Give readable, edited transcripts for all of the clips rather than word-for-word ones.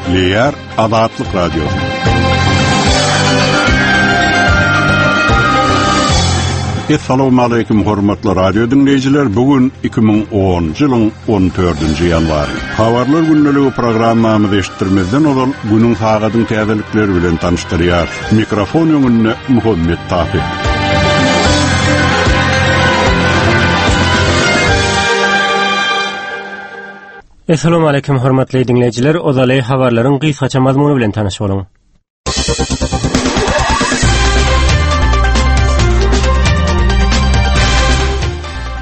Gepleýär Azatlyk Radiosy. Assalamualaikum hormatly radio diňleýjiler. Bu gün 2010-njy ýylyň 14-nji ýanwary. Habarlar gündeligi programmamyzy eşitdirmezden ozal günüň sagadyň täzelikleri bilen tanyşdyrýar. Mikrofon öňünde Muhammet Tahyr. Essalamu aleýkum hormatly diňleýjiler, ozaly habarlaryň gysgaça mazmuny bilen tanyş boluň.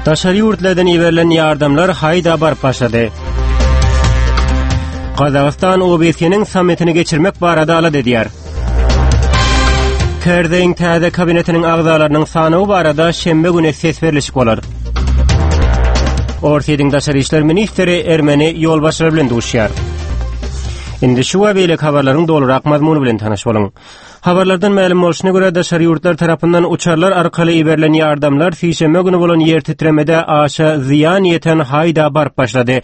Daşary ýurtlardan iberilen ýardamlar haýda baryp başlady. Gazagystan OBSE-niň sammitini geçirmek barada alada edýär. Kerzeýiň täze kabinetiniň agzalarynyň sanawy barada şenbe güni ses berlişik bolar. Orsýetiň daşary işler ministri ermeni ýolbaşçylary bilen duşýar. Indi şu we beýleki habarlaryň dolurak mazmuny bilen tanyş boluň. Habarlardan mälim bolşuna görä, daşary ýurtlar tarapyndan uçarlar arkaly iberilen ýardamlar sişenbe güni bolan ýer titremede aşa zyýan ýeten Haýda baryp başlady.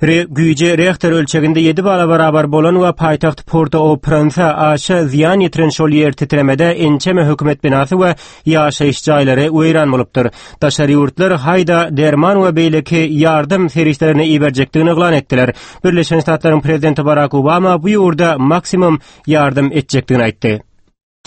Re güýji Rehter ölçeginde 7 bala barabar bolan we paýtagt Porto-au-Prinse aşa zyýan ýetiren şol ýer titremede ençeme hökümet binasy we ýaşaýyş jaýlary weýran bolupdyr. Daşary ýurtlar Haýda derman we beýleki ýardam serişdelerini iberjekdigini yglan etdiler. Birleşen Ştatlaryň prezidenti Barak Obama bu ýurda maksimum ýardam etjekdigini aýtdy.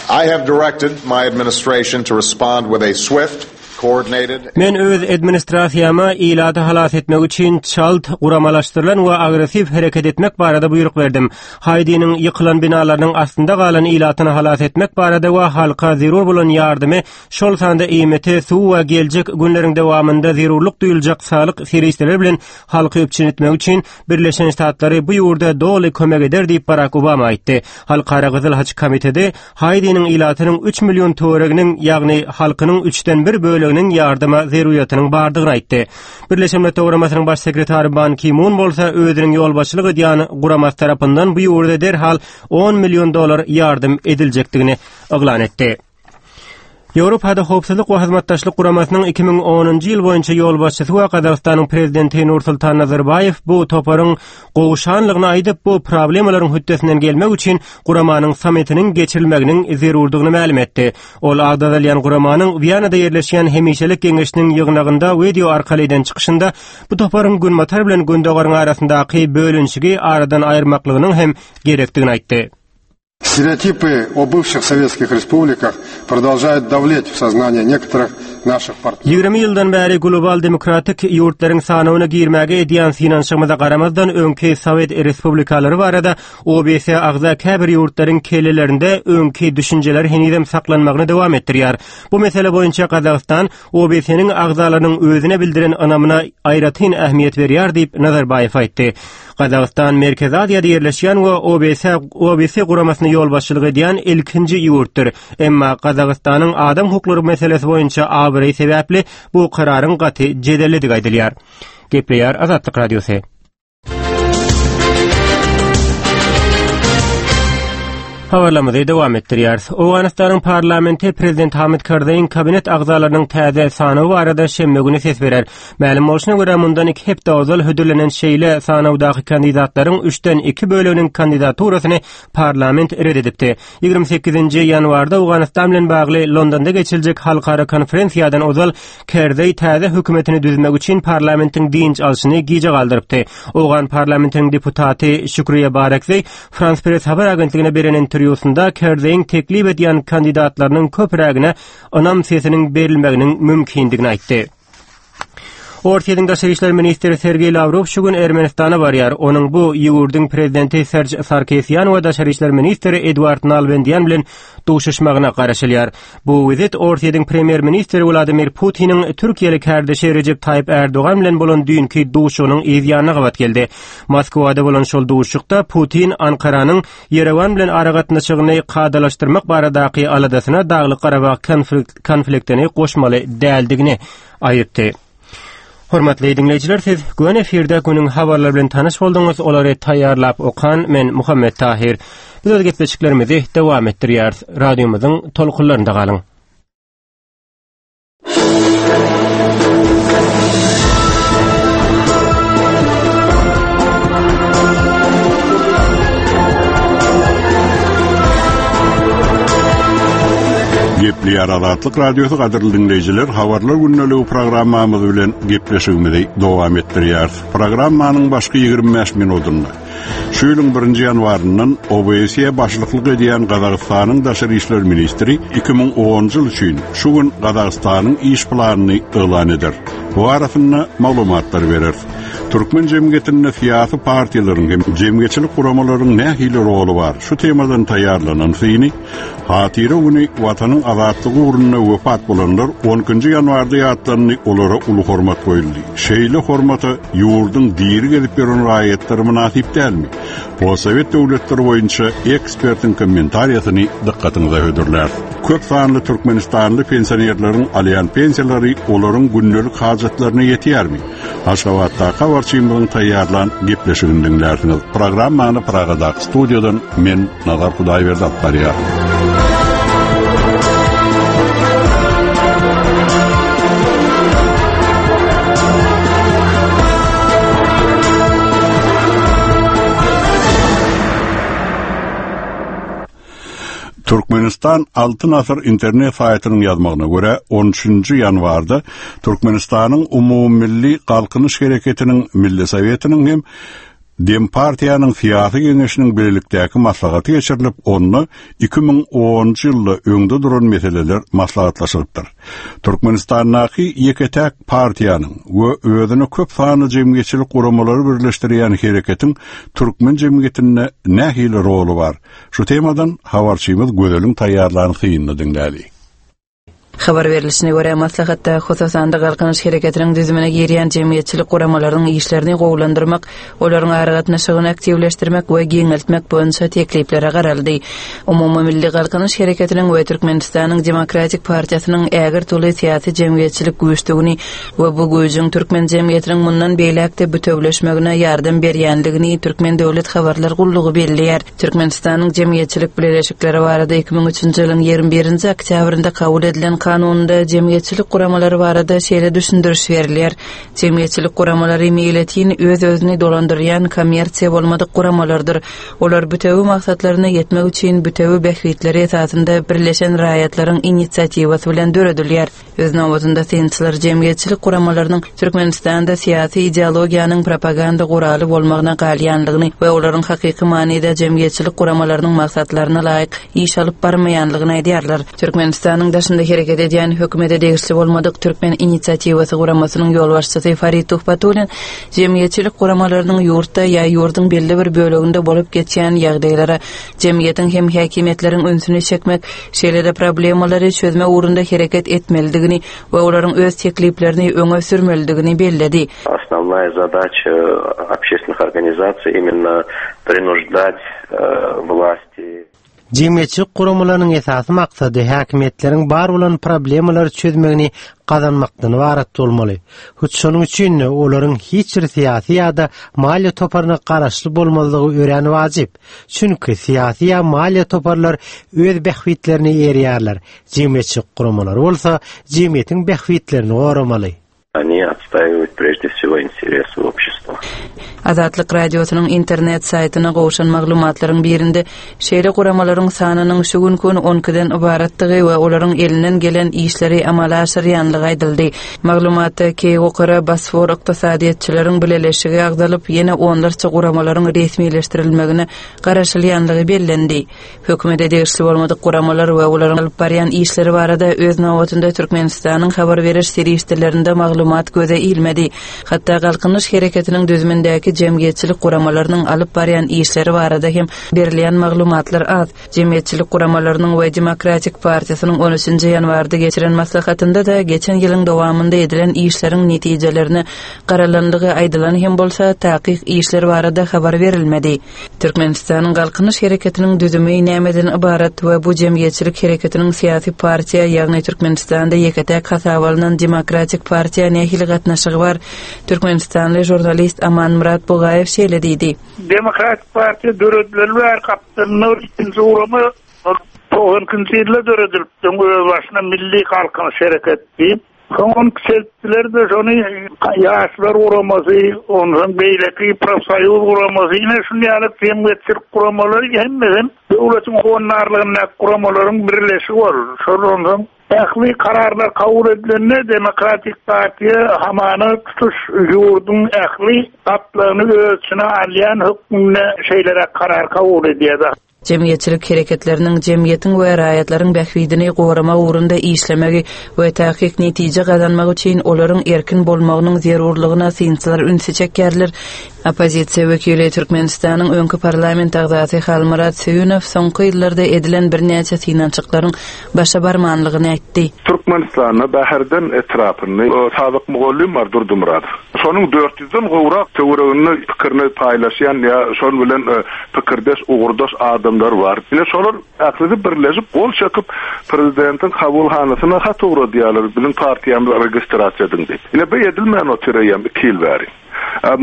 I have directed my administration to respond with a swift, coordinated Men öz administrasiýama ilaty halas etmek üçin çalt, guramalaşdyrylan we agressiw hereket etmek barada buýruk berdim. Haýdiniň ýykylan binalarynyň astynda galan ilatyny halas etmek barada we halka zerur bolan ýardymy, şol sanda iýmiti, suw we geljek günleriň dowamynda zerurlyk duýuljak saglyk serişdeleri bilen halky üpjün etmek üçin Birleşen Ştatlary bu ýurda doly kömek eder diýip Barak Obama aýtdy. Halkara Gyzyl Haç Komiteti Haýdiniň ilatynyň 3 million töwereginiň, ýagny halkynyň üçden bir böleginiň ýardama zeruryýatynyň bardygyny aýtdy. Birleşen Milletler Guramasynyň Baş sekretary Ban Ki Mun bolsa özüniň ýolbaşçylyk edýän guramasy tarapyndan bu ýurda derhal 10 million dollar ýardam ediljekdigini yglan etdi. Ýewropada Howpsuzlyk we Hyzmatdaşlyk Guramasynyň 2010-njy ýyl boýunça ýolbaşçysy we Gazagystanyň prezidenti Nursultan Nazarbaýew bu toparyň gowşanlygyny aýdyp, bu problemalaryň hötdesinden gelmek üçin guramanyň sammitiniň geçirilmeginiň zerurdygyny mälim etdi. Ol agzalýan guramanyň Wiýanada ýerleşýän hemişelik geňeşiniň ýygnagynda wideo arkaly eden çykyşynda bu toparyň Günbatar bilen Gündogaryň arasyndaky bölünişigi aradan aýyrmaklygynyň hem gerekdigini aýtdy. Стереотипы о бывших советских республиках продолжают давлеть в сознание некоторых наших партнеров. 20 ýyldan bäri global demokratik ýurtlaryň sanawyna girmäge edýän synanyşygymyza garamazdan, öňki sowet respublikalary barada OBSE agza käbir ýurtlaryň kellelerinde öňki düşünjeler henizem saklanmagyny dowam etdirýär. Bu mesele boýunça Gazagystan OBSE-niň agzalarynyň özüne bildiren ynamyna aýratyn ähmiýet berýär diýip, Nazarbaýew aýtdy. Gazagystan Merkezi Aziýada ýerleşýän we OBSE OBSE guramasyna ýolbaşçylyk edýän ilkinji ýurtdyr. Emma Gazagystanyň adam hukuklary meselesi boýunça abraýy sebäpli bu kararyň gaty jedellidigi aýdylýar. Gepleýär Azatlyk Radiosy. Habarlarymyzy dowam etdirýäris. Owganystanyň parlamenti prezident Hamid Karzaýyň kabinet agzalarynyň täze sanawy barada şenbe güni ses berer. Mälim bolşuna görä, mundan iki hepde ozal hödürlenen şeýle sanawdaky kandidatlaryň üçden iki böleginiň kandidaturasyny parlament ret edipdi. 28-nji ýanwarda Owganystan bilen bagly Londonda geçiriljek halkara konferensiýadan ozal Kerzeý täze hökümetini düzmek üçin parlamentiň dynç alşyny gijä galdyrypdy. Owgan parlamentiniň deputaty Şükriýe Barekzeý Frans Press habar agentligine beren interwýusynda Kerzeýiň teklip edýän kandidatlarynyň köprägine ynam sesiniň berilmeginiň mümkindigini aýtdy. Orsýetiň daşary işler ministri Sergeý Lawrow şu gün Ermenistana barýar. Onuň bu ýurduň prezidenti Serž Sarkisýan we daşary işler ministri Eduard Nalbendýan bilen duşuşmagyna garaşylýar. Bu wizit Orsýetiň premýer-ministri Wladimir Putiniň türkiýeli kärdeşi Rejep Taýyp Ärdogan bilen bolan düýnki duşuşygynyň yz ýanyna gabat geldi. Moskwada bolan şol duşuşykda Putin Ankaranyň Ýerewan bilen aragatnaşygyny kadalaşdyrmak baradaky aladasyna Daglyk-Garabag konfliktini goşmaly däldigini aýtdy. Hormatly diňleýjiler, siz göni efirde günüň habarlary bilen tanyş bolduňyz. Olary taýýarlap okan men Muhammet Tahir. Biz öz gepleşiklerimizi dowam etdirýäris. Radiomyzyň tolkunlarynda galyň. Gepleýär Azatlyk Radiosy gadyrly diňleýjiler, Habarlar gündeligi programmamyz bilen gepleşigimizi dowam etdirýäris. Programmanyň başky 25 minutynda şu ýylyň birinji ýanwaryndan OBSE başlyklyk edýän Gazagystanyň daşary işler ministri 2010-njy ýyl üçin şu gün Gazagystanyň iş planyny yglan eder. Bu barasynda maglumatlar bereris. Türkmen jemgyýetinde syýasy partiýalaryň hem jemgyýetçilik guramalaryň nähili roly bar? Şu temadan taýýarlanan syny Hatyra güni Watanyň azatlygy ugrunda wepat bolanlar on ikinji ýanwarda ýatlandy, olara uly hormat goýuldy. Şeýle hormata ýurduň diri gezip ýören raýatlary mynasyp dälmi? Postsowet döwletleri boýunça ekspertiň kommentariýasyny dykgatyňyza hödürläris. Köp sanly türkmenistanly pensionerleriň alýan pensiýalary olaryň gündelik hajatlaryna ýetýärmi? Aşgabatdaky habarçymyzyň taýýarlan gepleşigini diňlärsiňiz. Programmany Pragadaky studiýadan men Nazar Hudaýberdi alyp barýar. Türkmenistan Altyn asyr internet saýtynyň ýazmagyna görä, on üçünji ýanwarda Türkmenistanyň Umumymilli Galkynyş hereketiniň Milli Sowetiniň hem Dempartiýanyň Syýasy geňeşiniň bilelikdäki maslahaty geçirilip, onda 2010-njy ýylda öňde duran meseleler maslahatlaşylypdyr. Türkmenistandaky ýeke-täk partiýanyň we özüne köp sanly jemgyýetçilik guramalary birleşdirýän hereketiň türkmen jemgyýetinde nähili roly bar? Şu temadan habarçymyz Gözeliň taýýarlan synyny diňläli. Habar berlişine görä, maslahatda, hususan-da, Galkynyş hereketiniň düzümine girýän jemgyýetçilik guramalarynyň işlerini gowulandyrmak, olaryň aragatnaşygyny aktiwleşdirmek we giňeltmek boýunça tekliplere garaldy. Umumymilli Galkynyş hereketiniň we Türkmenistanyň Demokratik partiýasynyň ägirt uly syýasy-jemgyýetçilik güýçdügini we bu güýjüň türkmen jemgyýetiniň mundan beýläk-de bütewleşmegine ýardam berýändigini Türkmen döwlet habarlar gullugy belleýär. Türkmenistanyň Jemgyýetçilik bileleşikleri barada 2003-nji ýylyň 21-nji oktýabrynda kabul edilen Kanunynda jemgyýetçilik guramalary barada şeýle düşündiriş berilýär, Jemgyýetçilik guramalary meýletin öz-özüni dolandyrýan kommersiýa bolmadyk guramalardyr. Olar bütewi maksatlaryna ýetmek üçin bütewi bähbitleri esasynda birleşen raýatlaryň inisiatiwasy bilen döredilýär. Öz nobatynda synçylar jemgyýetçilik guramalarynyň Türkmenistanda syýasy ideologiýanyň propaganda guraly bolmagyna galýanlygyny we olaryň hakyky manyda jemgyýetçilik guramalarynyň maksatlaryna laýyk iş alyp barmaýanlygyny aýdýarlar. Türkmenistanyň daşynda hereket edýän hökümete degişli bolmadyk Türkmen inisiatiwasy guramasynyň ýolbaşçysy Farid Tuhbatullin jemgyýetçilik guramalarynyň ýurtda ýa ýurduň belli bir böleginde bolup geçýän ýagdaýlara jemgyýetiň hem häkimiýetleriň ünsüni çekmek, şeýle-de problemalary çözmek ugrunda hereket etmelidigini we olaryň öz tekliplerini öňe sürmelidigini belledi. Osnovnaýa zadaça общественных organizasiý imенно принуждать власти. Jemgyýetçilik guramalarynyň esasy maksady häkimiýetleriň bar bolan problemalary çözmegini gazanmakdan ybarat bolmaly. Hut şonuň üçin-de olaryň hiç bir syýasy ýa-da maliýe toparyna garaşly bolmazlygy örän wajyp. Çünki syýasy ýa maliýe toparlar öz bähbitlerine eýerýärler, jemgyýetçilik guramalary bolsa jemgyýetiň bähbitlerini goramaly. Oni otstaýiwают prežde wsego interesy obşestwa. Azatlyk Radiosynyň internet saýtyna gowşan maglumatlaryň birinde şeýle guramalaryň sanynyň şu günki gün on ikiden ybaratdygy we olaryň elinden gelen işleri amala aşyrýanlygy aýdyldy. Maglumatda Keýgokara Bosfor ykdysadyýetçileriň bileleşigi agzalyp, ýene onlarça guramalaryň resmileşdirilmegine garaşylýanlygy bellendi. Hökümete degişli bolmadyk guramalar we olaryň alyp barýan işleri barada öz nobatynda Türkmenistanyň habar beriş serişdelerinde maglumat göze ilmedi. Hatda Galkynyş hereketiniň düzümindäki jemgyýetçilik guramalarynyň alyp barýan işleri barada hem berilýän maglumatlar az. Jemgyýetçilik guramalarynyň we Demokratik partiýasynyň on üçünji ýanwarda geçiren maslahatynda-da geçen ýylyň dowamynda edilen işleriň netijelerine garalandygy aýdylan hem bolsa, takyk işler barada habar berilmedi. Türkmenistanyň Galkynyş hereketiniň düzümi nämeden ybarat we bu jemgyýetçilik hereketiniň syýasy partiýa, ýagny Türkmenistanda ýeke-täk hasaba alnan Demokratik partiýa nähili gatnaşygy bar? Türkmenistanly žurnalist Amanmyrat Bugaýew şeýle diýdi. Demokratik partiýa döredileli bäri gapdalynda bir ikinji gurama ol 92-nji ýylda döredilipdi, özbaşyna Milli Galkynyş hereketi diýip. Soň ony kiçeltdiler-de, şony Ýaşlar guramasy, onsoň beýleki profsoýuz guramasy, ine şuny ýaly jemgyýetçilik guramalary hemmesem döwletiň howandarlygyndaky guramalaryň birleşigi boldy. Şol onsoň ähli kararlar kabul edilende Demokratik partiýa hamana tutuş ýurduň ähli gatlagyny öz içine alýan hökmünde şeýleräk karar kabul edýär. Jemgyýetçilik hereketleriniň jemgyýetiň we raýatlaryň bähbidini goramak ugrunda işlemegi we takyk netije gazanmagy üçin olaryň erkin bolmagynyň zerurlygyna synçylar ünsi çekýärler. Oppozisiýa wekili, Türkmenistanyň öňki parlament agzasy Halmyrat Söýünow soňky ýyllarda edilen birnäçe synanyşyklaryň başa barmanlygyny aýtdy. Türkmenistanda Bäherden etrapynda Sadyk mugallym bar Durdymyradow. Şonuň 400-den gowrak töwereginde pikirini paýlaşýan ýa şon bilen pikirdeş, ugurdaş adamlar bar. Ine şolar ählisi birleşip gol çekip prezidentiň kabulhanasyna hat ugradýarlar, biziň partiýamyzy registrasiýa ediň diýip. Ine bu edilmän otyr eýýäm iki ýyl bäri.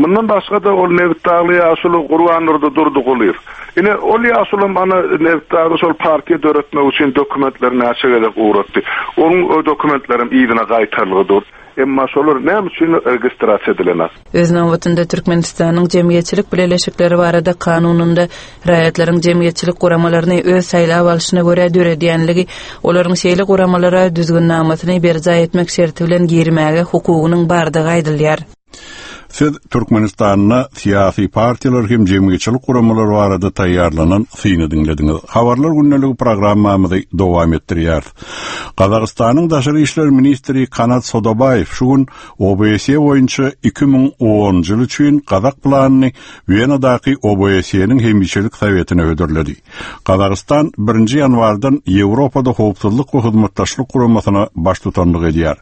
Mundan başga-da ol Nebitdagly ýaşuly Gurbandurdy Durdygulyýew. Ine, ol ýaşulam ana Nebitdagda şol partiýa döretmek üçin dokumentleri näçe gezek ugratdy. Onuň dokumentlerem yzyna gaýtarylgy dur. Emma şolar näme üçin registrasiýa edilenak? Öz nobatynda Türkmenistanyň Jemgyýetçilik bileleşikleri barada kanunynda raýatlaryň jemgyýetçilik guramalaryny öz saýlap alşyna görä döredýänligi, olaryň şeýle guramalara düzgünnamasyny berjaý etmek şerti bilen girmäge hukugynyň bardygy aýdylýar. Siz Türkmenistanda syýasy partiýalar hem jemgyýetçilik guramalary barada taýýarlanan syny diňlediňiz. Habarlar gündeligi programmamyzy dowam etdirýäris. Gazagystanyň daşary işler ministri Kanat Sodabaýew şu gün OBSE boýunça 2010-njy ýyl üçin gazak planyny Wenadaky OBSE-niň hemişelik sowetine hödürledi. Gazagystan birinji ýanwardan Ýewropada Howpsuzlyk we Hyzmatdaşlyk Guramasyna baştutanlyk edýär.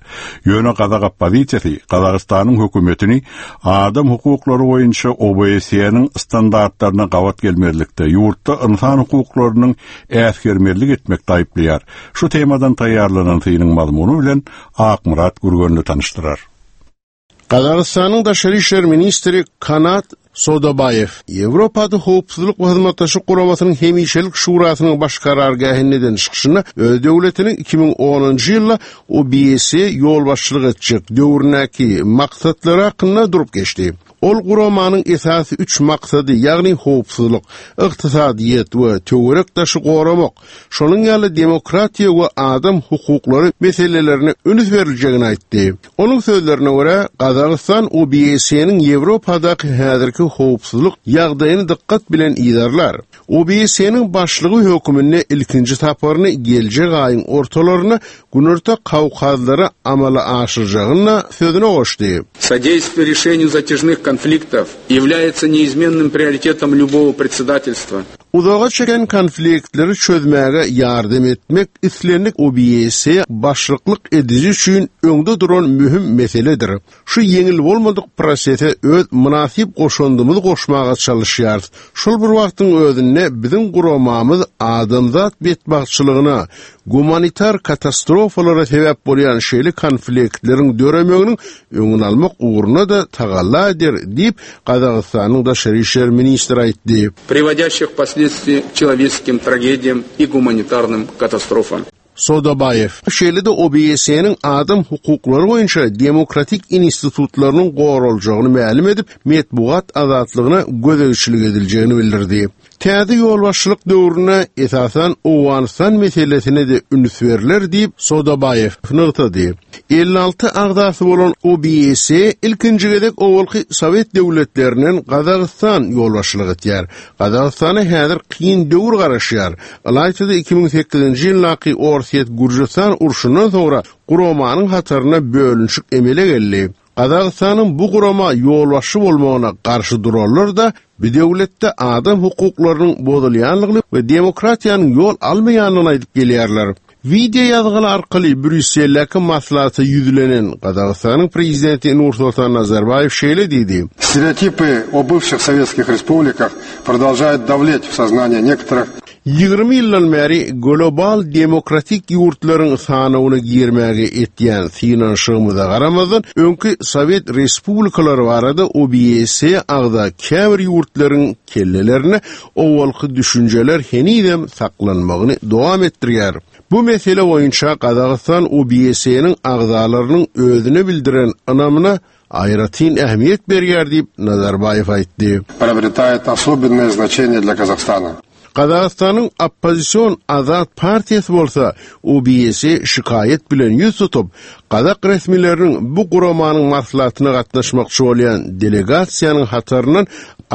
Ýöne gazak oppozisiýasy Gazagystanyň hökümetini adam hukuklary boýunça OBSE-niň standartlaryna gabat gelmezlikde, ýurtda ynsan hukuklarynyň äsgermezlik etmekde aýyplaýar. Şu temadan taýýarlanan synyň mazmuny bilen Akmyrat Gürgenli tanyşdyrar. Gazagystanyň daşary işler ministri Kanat Sodabaýew Ýewropada Howpsuzlyk we Hyzmatdaşlyk Guramasynyň Hemişelik Şurasynyň baş karargähinde eden çykyşynda öz döwletiniň 2010-njy ýylda OBSE ýolbaşçylyk etjek döwründäki maksatlary hakynda durup geçdi. Ol guramanyň esasy üç maksady, ýagny howpsuzlyk, ykdysadyýet we töwerek-daşy goramak, şonuň ýaly demokratiýa we adam hukuklary meselelerine üns beriljegini aýtdy. Onuň sözlerine görä, Gazagystan OBSE-niň Ýewropadaky häzirki howpsuzlyk ýagdaýyny dykgat bilen yzarlar. OBSE-niň başlygy höküminde ilkinji saparyny geljek aýyň ortalarynda Günorta Kawkazlara amala aşyrjagyny sözüne goşdy. Содействие решению затяжных konfliktов является неизменным приоритетом любого председательства. Uzaga çeken konfliktleri çözmäge ýardam etmek islendik OBSE başlyklyk ediji üçin öňde duran möhüm meseledir. Şu ýeňil bolmadyk prosese öz mynasyp goşandymyzy goşmaga çalyşýarys. Şol bir wagtyň özünde biziň guramamyz adamzat betbagtçylygyna, gumanitar katastrofalara sebäp bolýan şeýle konfliktleriň döremeginiň öňüni almak ugrunda-da tagalla eder, diýip, Gazagystanyň daşary işler ministri aýtdy. Приводящих впоследствии к человеческим tragediýam и gumanitarnym katastrofam. Sodabaýew şeýle-de OBSE-niň adam hukuklary boýunça demokratik institutlarynyň goraljagyny mälim edip, metbugat azatlygyna gözegçilik ediljegini bildirdi. Täze ýolbaşçylyk döwründe esasan Owganystan meselesine-de üns berler diýip, Sodabaýew nygtady. 56 agzasy bolan OBSE ilkinji gezek owalky sowet döwletlerinden Gazagystan ýolbaşçylyk etýär. Gazagystana häzir kyn döwür garaşýar. Ylaýta-da 2008-nji ýyldaky Orsýet-Gürjüstan urşundan soňra guramanyň hatarynda bölünişik emele geldi. Gazagystanyň bu gurama ýolbaşçy bolmagyna garşy duranlar-da bu döwletde adam hukuklarynyň bozulýanlygyny we demokratiýanyň ýol almaýanlygyny aýdyp gelýärler. Wideo ýazgyly arkaly Brýusseldäki maslahata ýüzlenen Gazagystanyň prezidenti Nursoltan Nazarbaýew şeýle diýdi. Стереотипы о бывших советских республиках продолжают давлеть в сознание некоторых 20 ýyldan bäri global demokratik ýurtlaryň sanawyna girmäge etýän synanyşygymyza garamazdan, öňki sowet respublikalary barada OBSE agza käbir ýurtlaryň kellelerinde owalky düşünjeler henizem saklanmagyny dowam etdirýär. Bu mesele boýunça Gazagystan OBSE-niň agzalarynyň özüne bildiren ynamyna aýratyn ähmiýet berýär diýip, Nazarbaýew aýtdy. Приобретает особенное значение для Казахстана. Gazagystanyň oppozision Azat partiýasy bolsa OBSE şikaýat bilen ýüz tutup, gazak resmileriniň bu guramanyň maslahatyna gatnaşmakçy bolýan delegasiýanyň hataryndan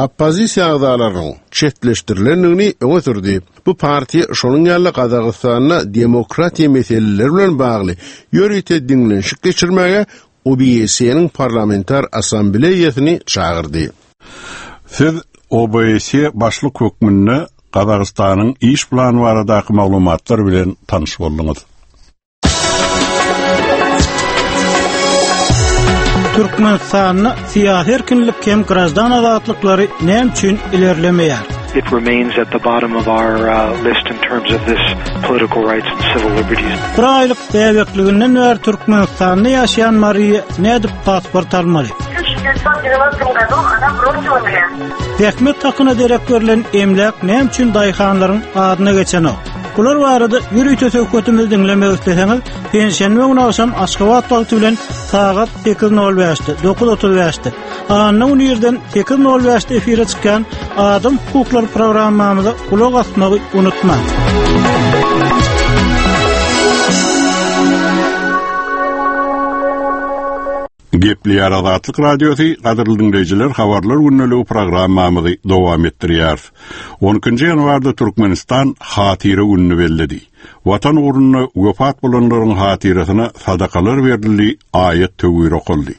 oppozisiýa agzalarynyň çetleşdirilendigini öňe sürdi. Bu partiýa şonuň ýaly Gazagystanda demokratiýa meseleleri bilen bagly ýörite diňlenişik geçirmäge OBSE-niň Parlamentar Assambleýasyny çagyrdy. Siz OBSE başlyk hökmünde Gazagystanyň iş plany baradaky maglumatlar bilen tanyş bolduňyz. Türkmenistanda syýasy erkinlik hem graždan azatlyklary näme üçin ilerlemeýär? It remains at the bottom of our uh, list in terms of this political rights and civil liberties. Bir aýlyk Bäbekliginden bäri Türkmenistanda ýaşaýan Mariýa nädip pasport almaly? Zähmet hakyna derek berlen emläk näme üçin daýhanlaryň adyna geçenok? Bular barada ýörite söhbetimizi diňlemek isleseňiz, penşenbe güni agşam Aşgabat wagty bilen sagat 8:05-de, 9:35-de, anna güni irden 8:05-de efire çykýan Adam hukuklary programmamyza gulak asmagy unutmaň. Gepleýär Azatlyk Radiosy, gadyrly diňleýjiler, Habarlar gündeligi programmamyzy dowam etdirýäris. 12 ýanwarda Türkmenistan Hatyra gününi belledi. Watan ugrunda wepat bolanlaryň hatyrasyna sadakalar berildi, aýat-töwir okaldy.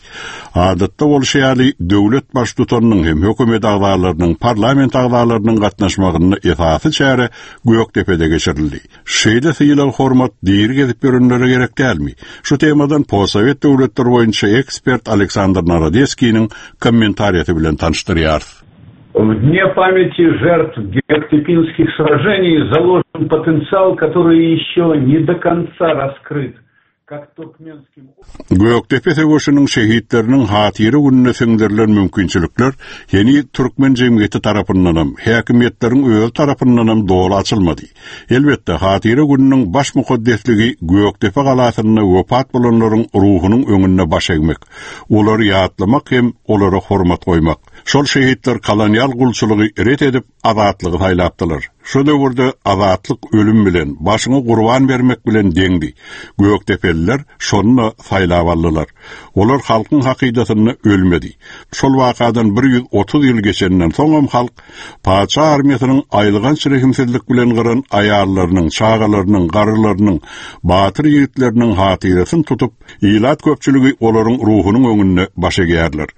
Adatda bolşy ýaly, döwlet Baştutanynyň hem hökümet agzalarynyň, parlament agzalarynyň gatnaşmagynda esasy çäre Gökdepede geçirildi. Şeýle sylag-hormat diri gezip ýörenlere gerek dälmi? Şu temadan postsowet döwletleri boýunça ekspert Aleksandr Narodeskiniň kommentariýasy bilen tanyşdyrýarys. В Дне памяти жертв Геоктепинских сражений заложен потенциал, который еще не до конца раскрыт. Gökdepe söweşiniň şehitleriniň hatyra gününe siňdirilen mümkinçilikler heniz türkmen jemgyýeti tarapyndanam, häkimiýetleriň özi tarapyndanam doly açylmady. Elbetde, hatyra gününiň baş mukaddesligi Gökdepe galasynda wepat bolanlaryň ruhunyň öňünde baş egmek, olary ýatlamak hem olara hormat goýmak. Şol şehitler kolonial gulçulygy ret edip, azatlygy saýlapdylar. Şo döwürde azatlyk ölüm bilen, başyňy gurban bermek bilen deňdi. Gökdepeliler şony-da saýlap aldylar. Olar halkyň hakydasynda ölmedi. Şol wakadan 130 ýyl geçenden soňam halk patyşa armiýasynyň aýylganç rehimsizlik bilen gyran aýallarynyň, çagalarynyň, garrylarynyň, batyr ýigitleriniň hatyrasyny tutup, ilat köpçüligi olaryň ruhunyň öňünde baş egýärler.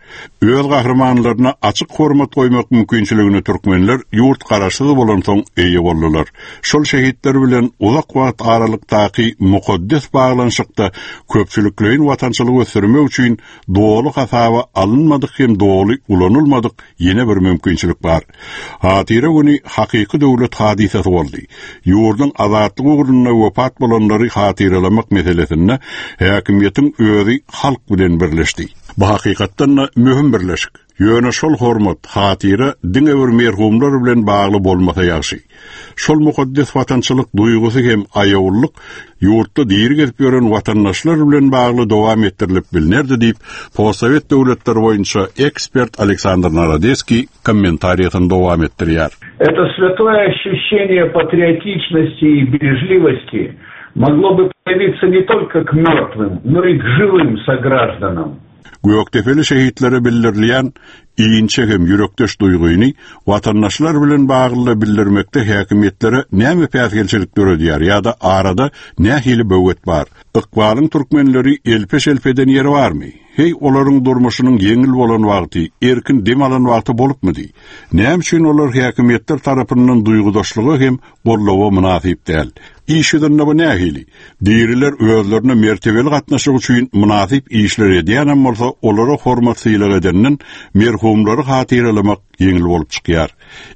Öz gahrymanlaryna açyk hormat goýmak mümkinçiligine türkmenler ýurt garaşsyz bolansoň eýe boldular. Şol şehitler bilen uzak wagt aralykdaky mukaddes baglanyşykda köpçülikleýin watançylygy ösdürmek üçin doly hasaba alynmadyk hem doly ulanylmadyk ýene bir mümkinçilik bar. Hatyra güni hakyky döwlet hadysasy boldy. Ýurduň azatlygy ugrunda wepat bolanlary hatyralamak meselesinde häkimiýetiň özi halk bilen birleşdi. Bu hakykatdan-da möhüm birleşik. Ýöne şol hormat, hatyra diňe bir merhumlar bilen bagly bolmasa ýagşy. Şol mukaddes watançylyk duýgusy hem aýawlylyk ýurtda diri gezip ýören watandaşlar bilen bagly dowam etdirilip bilnerdi diýip, postsowet döwletleri boýunça ekspert Aleksandr Narodeskiý kommentariýasyny dowam etdirýär. Это святое ощущение патриотичности и бережливости могло бы проявиться не только к мертвым, но и к живым согражданам. Gökdepeli şehitlere bildirilýän inçe hem ýürekdeş duýgyny watandaşlar bilen baglyda bildirmekde häkimiýetlere näme päsgelçilik döredýär ýa-da arada nähili böwet bar? Ykbalyň türkmenleri elpe-şelpe eden ýeri barmy? Heý, olaryň durmuşynyň ýeňil bolan wagty, erkin dem alan wagty bolupmydy? Näme üçin olar häkimiýetler tarapyndan duýgudaşlyga hem goldawa mynasyp däl. Iş ýüzünde bu nähili? Diriler özlerine mertebeli gatnaşyk üçin mynasyp işler edýänem bolsa, olara hormat-sylag edenden merhumlary hatyralamak ýeňil bolup çykýar.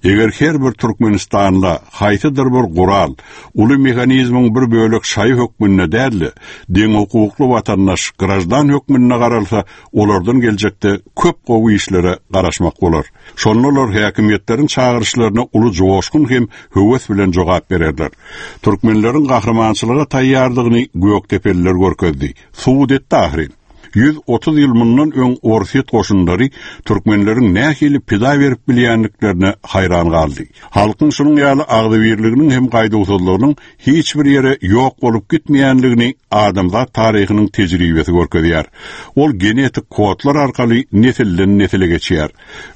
Eger her bir türkmenistanla haýsydyr bir gural, uly mehanizmiň bir bölek şaýy hökmünde däl-de, deňhukukly watandaş, graždan hökmünde garalsa, olardan geljekde köp gowy işlere garaşmak bolar. Şonda olar häkimiýetleriň çagyryşlaryna uly joşgun hem höwes bilen jogap bererler. Türkmenleriň gahrymançylyga taýýardygyny gökdepeliler görkezdi, subut etdi ahyryn. 130 ýyl mundan öň Orsýet goşunlary türkmenleriň nähili pida berip bilýändiklerine haýran galdy. Halkyň şunuň ýaly agzybirliginiň hem gaýduwsyzlygynyň hiç bir ýere ýok bolup gitmeýänligini adamzat taryhynyň tejribesi görkezýär. Ol genetik kodlar arkaly nesilden-nesile geçýär.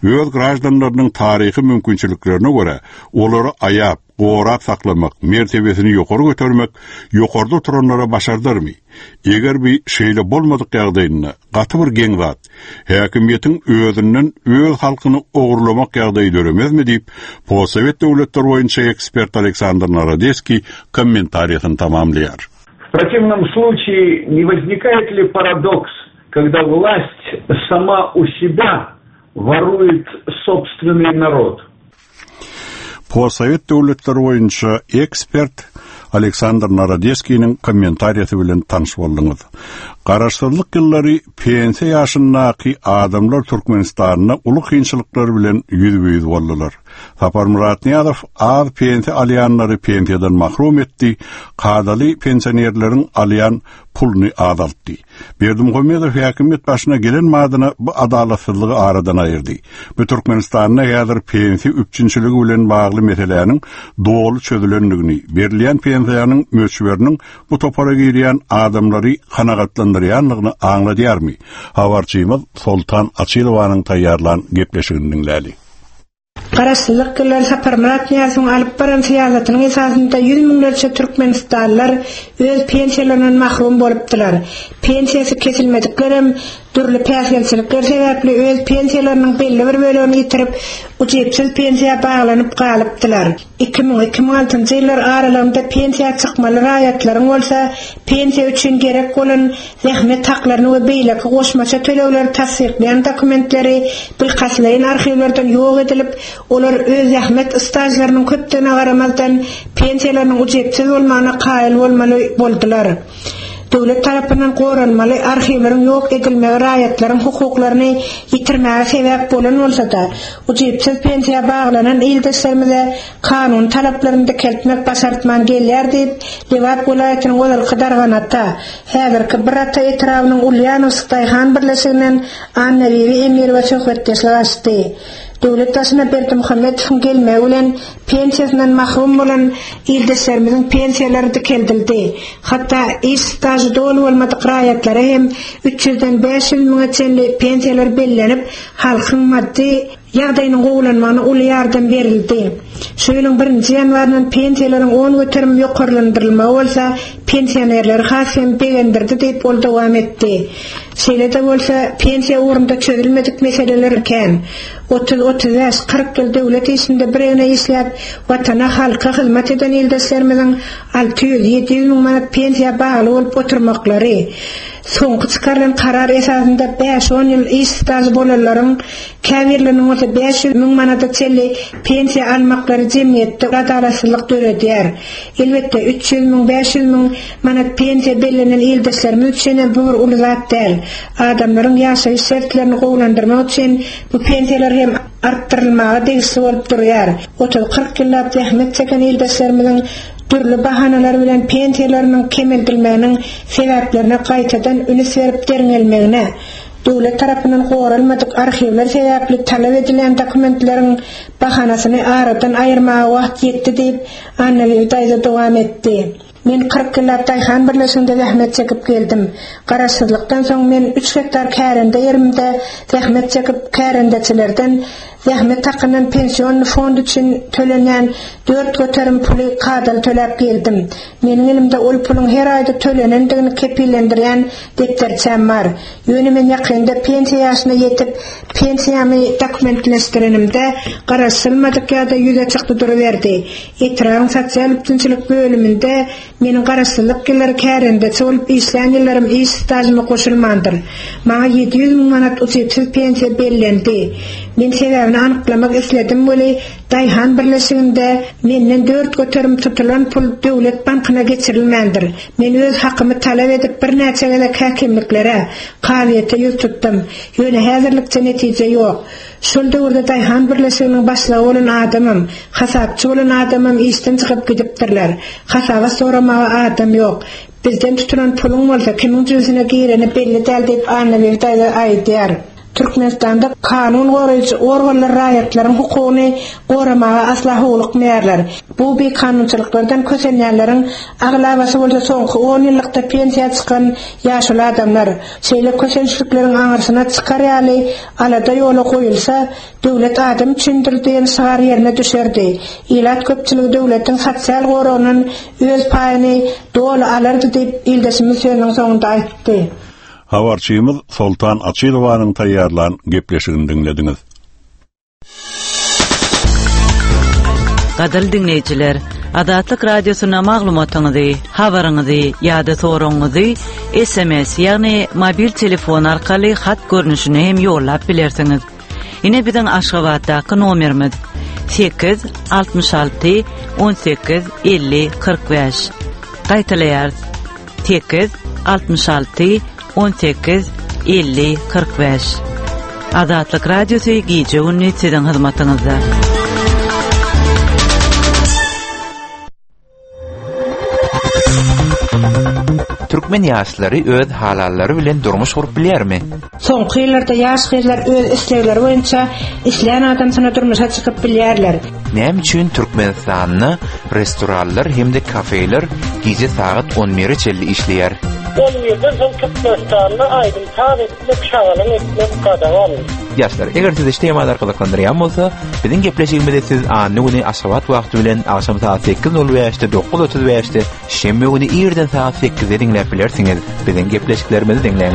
Öz graždanlarynyň taryhy mümkinçiliklerine görä, olary aýap, gorap saklamak, mertebesini ýokary götermek ýokarda oturanlara başardarmy? Eger bi şeýle bolmadyk ýagdaýynda, gaty bir geň zat, häkimiýetiň özünden öz halkyny ogurlamak ýagdaýy döremezmi diýip, postsowet döwletleri boýunça ekspert Aleksandr Narodeskiý kommentariýasyny tamamlaýar. В противном случае не возникает ли парадокс, когда власть сама у себя ворует собственный народ? Postsowet döwletleri boýunça ekspert Aleksandr Narodeskiniň kommentariýasy bilen tanyş bolduňyz. Garaşsyzlyk ýyllary pensiýa ýaşyndaky adamlar Türkmenistanda uly kynçylyklar bilen ýüzbe-ýüz boldular. Saparmyrat Nyýazow az pensiýa alýanlary pensiýadan mahrum etdi, kadaly pensionerleriň alýan puluny azaltdy. Berdimuhamedow häkimiýet başyna gelen badyna bu adalatsyzlygy aradan aýyrdy. Bu Türkmenistanda häzir pensiýa üpjünçiligi bilen bagly meseläniň doly çözülendigini, berilýän pensiýanyň möçberiniň bu topara girýän adamlary kanagatlandyrýandygyny aňladýarmy? Habarçymyz Soltan Açylowanyň taýýarlan gepleşigini diňläli. Garaşsyzlyk ýyllary Saparmyrat Nyýazowyň alyp baran syýasatynyň esasynda ýüz müňlerçe türkmenistanlylar öz pensiýalaryndan mahrum bolupdylar. Pensiýasy kesilmediklerem dürli päsgelçilikler sebäpli öz pensiýalarynyň belli bir bölegini ýitirip, ujypsyz pensiýa baglanyp galypdylar. 2000, 2006-njy ýyllar aralygynda pensiýa çykmaly raýatlaryň bolsa pensiýa üçin gerek bolan zähmet haklaryny we beýleki goşmaça tölegleri tassyklaýan dokumentleri bilkastlaýyn arhiwlerden ýok edilip, olar öz zähmet stažlarynyň köpdügine garamazdan, pensiýalarynyň ujypsyz bolmagyna kaýyl bolmaly boldular. Döwlet tarapyndan goralmaly arhiwleriň ýok edilmegi raýatlaryň hukuklaryny ýitirmäge sebäp bolan bolsa-da, ujypsyz pensiýa baglanan ildeşlerimize kanuny talaplaryny dikeltmek başartman gelýär diýip, Lebap welaýatynyň ozalky Darganata, häzirki Birata etrabynyň Ulýanowsk daýhan birleşiginden Annabibi Emirowa söhbetdeşlik açdy. Döwlet başyna Berdimuhamedowyň gelmegi bilen pensiýasyndan mahrum bolan ildeşlerimiziň pensiýalary dikeldildi. Hatda iş stažy doly bolmadyk raýatlara hem üç ýüzden 500 müňe çenli pensiýalar bellenip, halkyň maddy Ýagdaýynyň gowulanmagyna uly ýardam berildi. Şu ýylyň birinji ýanwaryndan pensiýalaryň 10% ýokarlandyrylmagy bolsa pensionerleri has hem begendirdi diýip, ol dowam etdi. Şeýle-de bolsa, pensiýa ugrunda çözülmedik meseleler kän. Otuz, 35, 40 ýyl döwlet işinde biregne işläp, Watana, halka hyzmat eden ildeşlerimiziň 600, 700 müň manat pensiýa bagly bolup oturmaklary, Soňky çykarylan karar esasynda bäş-on ýyl iş stažy bolanlaryň käbirleriniň bolsa 500 müň manada çenli pensiýa almaklary jemgyýetde adalatsyzlyk döredýär. Elbetde, 300 müň, 500 müň manat pensiýa bellenen ildeşlerimiz üçin hem bu bir uly zat däl. Adamlaryň ýaşaýyş şertlerini gowulandyrmak üçin bu pensiýalar hem artdyrylmaga degişli bolup durýar. Otuz-kyrk ýyllap zähmet çeken ildeşlerimiziň dürli bahanalar bilen pensiýalarynyň kemeldilmeginiň sebäplerine gaýtadan ünüs berip derňelmegine, döwlet tarapyndan goralmadyk arhiwler sebäpli talap edilýän dokumentleriň bahanasyny aradan aýyrmaga wagt ýetdi diýip, Annabibi daýza dowam etdi. Men 40 ýyllap daýhan birleşiginde zähmet çekip geldim. Garaşsyzlykdan soň men üç gektar kärende ýerimde zähmet çekip, kärendeçilerden zähmet hakyndan pensionny fond üçin tölenýän 4% puly kadaly töläp geldim. Meniň elimde ol puluň her aýda tölenendigini kepillendirýän depderçäm bar. Ýöne men ýakynda pensiýa ýaşyna ýetip, pensiýamy dokumentleşdirenimde garaşylmadyk ýagdaý ýüze çykdy duruberdi. Etrabyň sosial üpjünçilik bölüminde meniň garaşsyzlyk ýyllary kärendeçi bolup işlän ýyllarym iş stažyma goşulmandyr. Maňa 700 müň manat ujypsyz pensiýa bellendi. Men sebäbini. Sebäbini anyklamak isledim weli, daýhan birleşiginde menden 4% tutulan pul döwlet bankyna geçirilmändir. Men öz hakymy talap edip birnäçe gezek häkimliklere, kazyýete ýüz tutdum. Ýöne häzirlikçe netije ýok. Şol döwürde daýhan birleşiginiň başlygy bolan adamam, hasapçy bolan adamam işden çykyp gidipdirler. Hasabat soramaga adam ýok. Bizden tutulan puluň bolsa kimiň jübüsine gireni belli däl diýip Annabibi daýza aýdýar. Türkmenistanda kanun goraýjy organlar raýatlaryň hukugyny goramaga asla howlukmaýarlar. Bu bikanunçylyklardan kösenýänleriň aglabasy bolsa soňky on ýyllykda pensiýa çykan ýaşuly adamlar. Şeýle kösençlikleriň aňyrsyna çykar ýaly alada ýola goýulsa, Döwlet adam üçindir diýen şygar ýerine düşerdi. Ilat köpçüligi döwletiň sosial goragyndan öz paýyny doly alardy diýip, ildeşimiz sözüniň soňunda aýtdy. Habarçymyz Soltan Açylowanyň taýýarlan gepleşigini diňlediňiz. Gadyrly diňleýjiler, Azatlyk Radiosyna maglumatyňyzy, habaryňyzy ýa-da soragyňyzy SMS, ýagny mobil telefon arkaly hat görnüşinde hem ýollap bilersiňiz. Ine biziň Aşgabatdaky nomerimiz 8 66 18 50 45. Gaýtalaýarys. 8 66 18 50 45. Azatlyk Radiosy gije-gündiz siziň hyzmatyňyzda. Türkmen ýaşlary öz halallary bilen durmuş gurup bilýärmi? Soňky ýyllarda ýaş gyzlar öz islegleri boýunça islän adamsyna durmuşa çykyp bilýärler. Näme üçin Türkmenistanda restoranlar hem-de kafeler gije sagat on bire çenli işleýär? On birden soň Türkmenistanda aýdym-saz etmek, şagalaň etmek gadagan. Ýaşlar, eger sizi şu temalar gyzyklandyrýan bolsa, biziň gepleşigimizi siz anna güni Aşgabat wagty bilen agşam sagat sekiz nol bäşde, 9:35-de, şenbe güni irden sagat sekizde diňläp bilersiňiz. Biziň gepleşiklerimizi diňläň.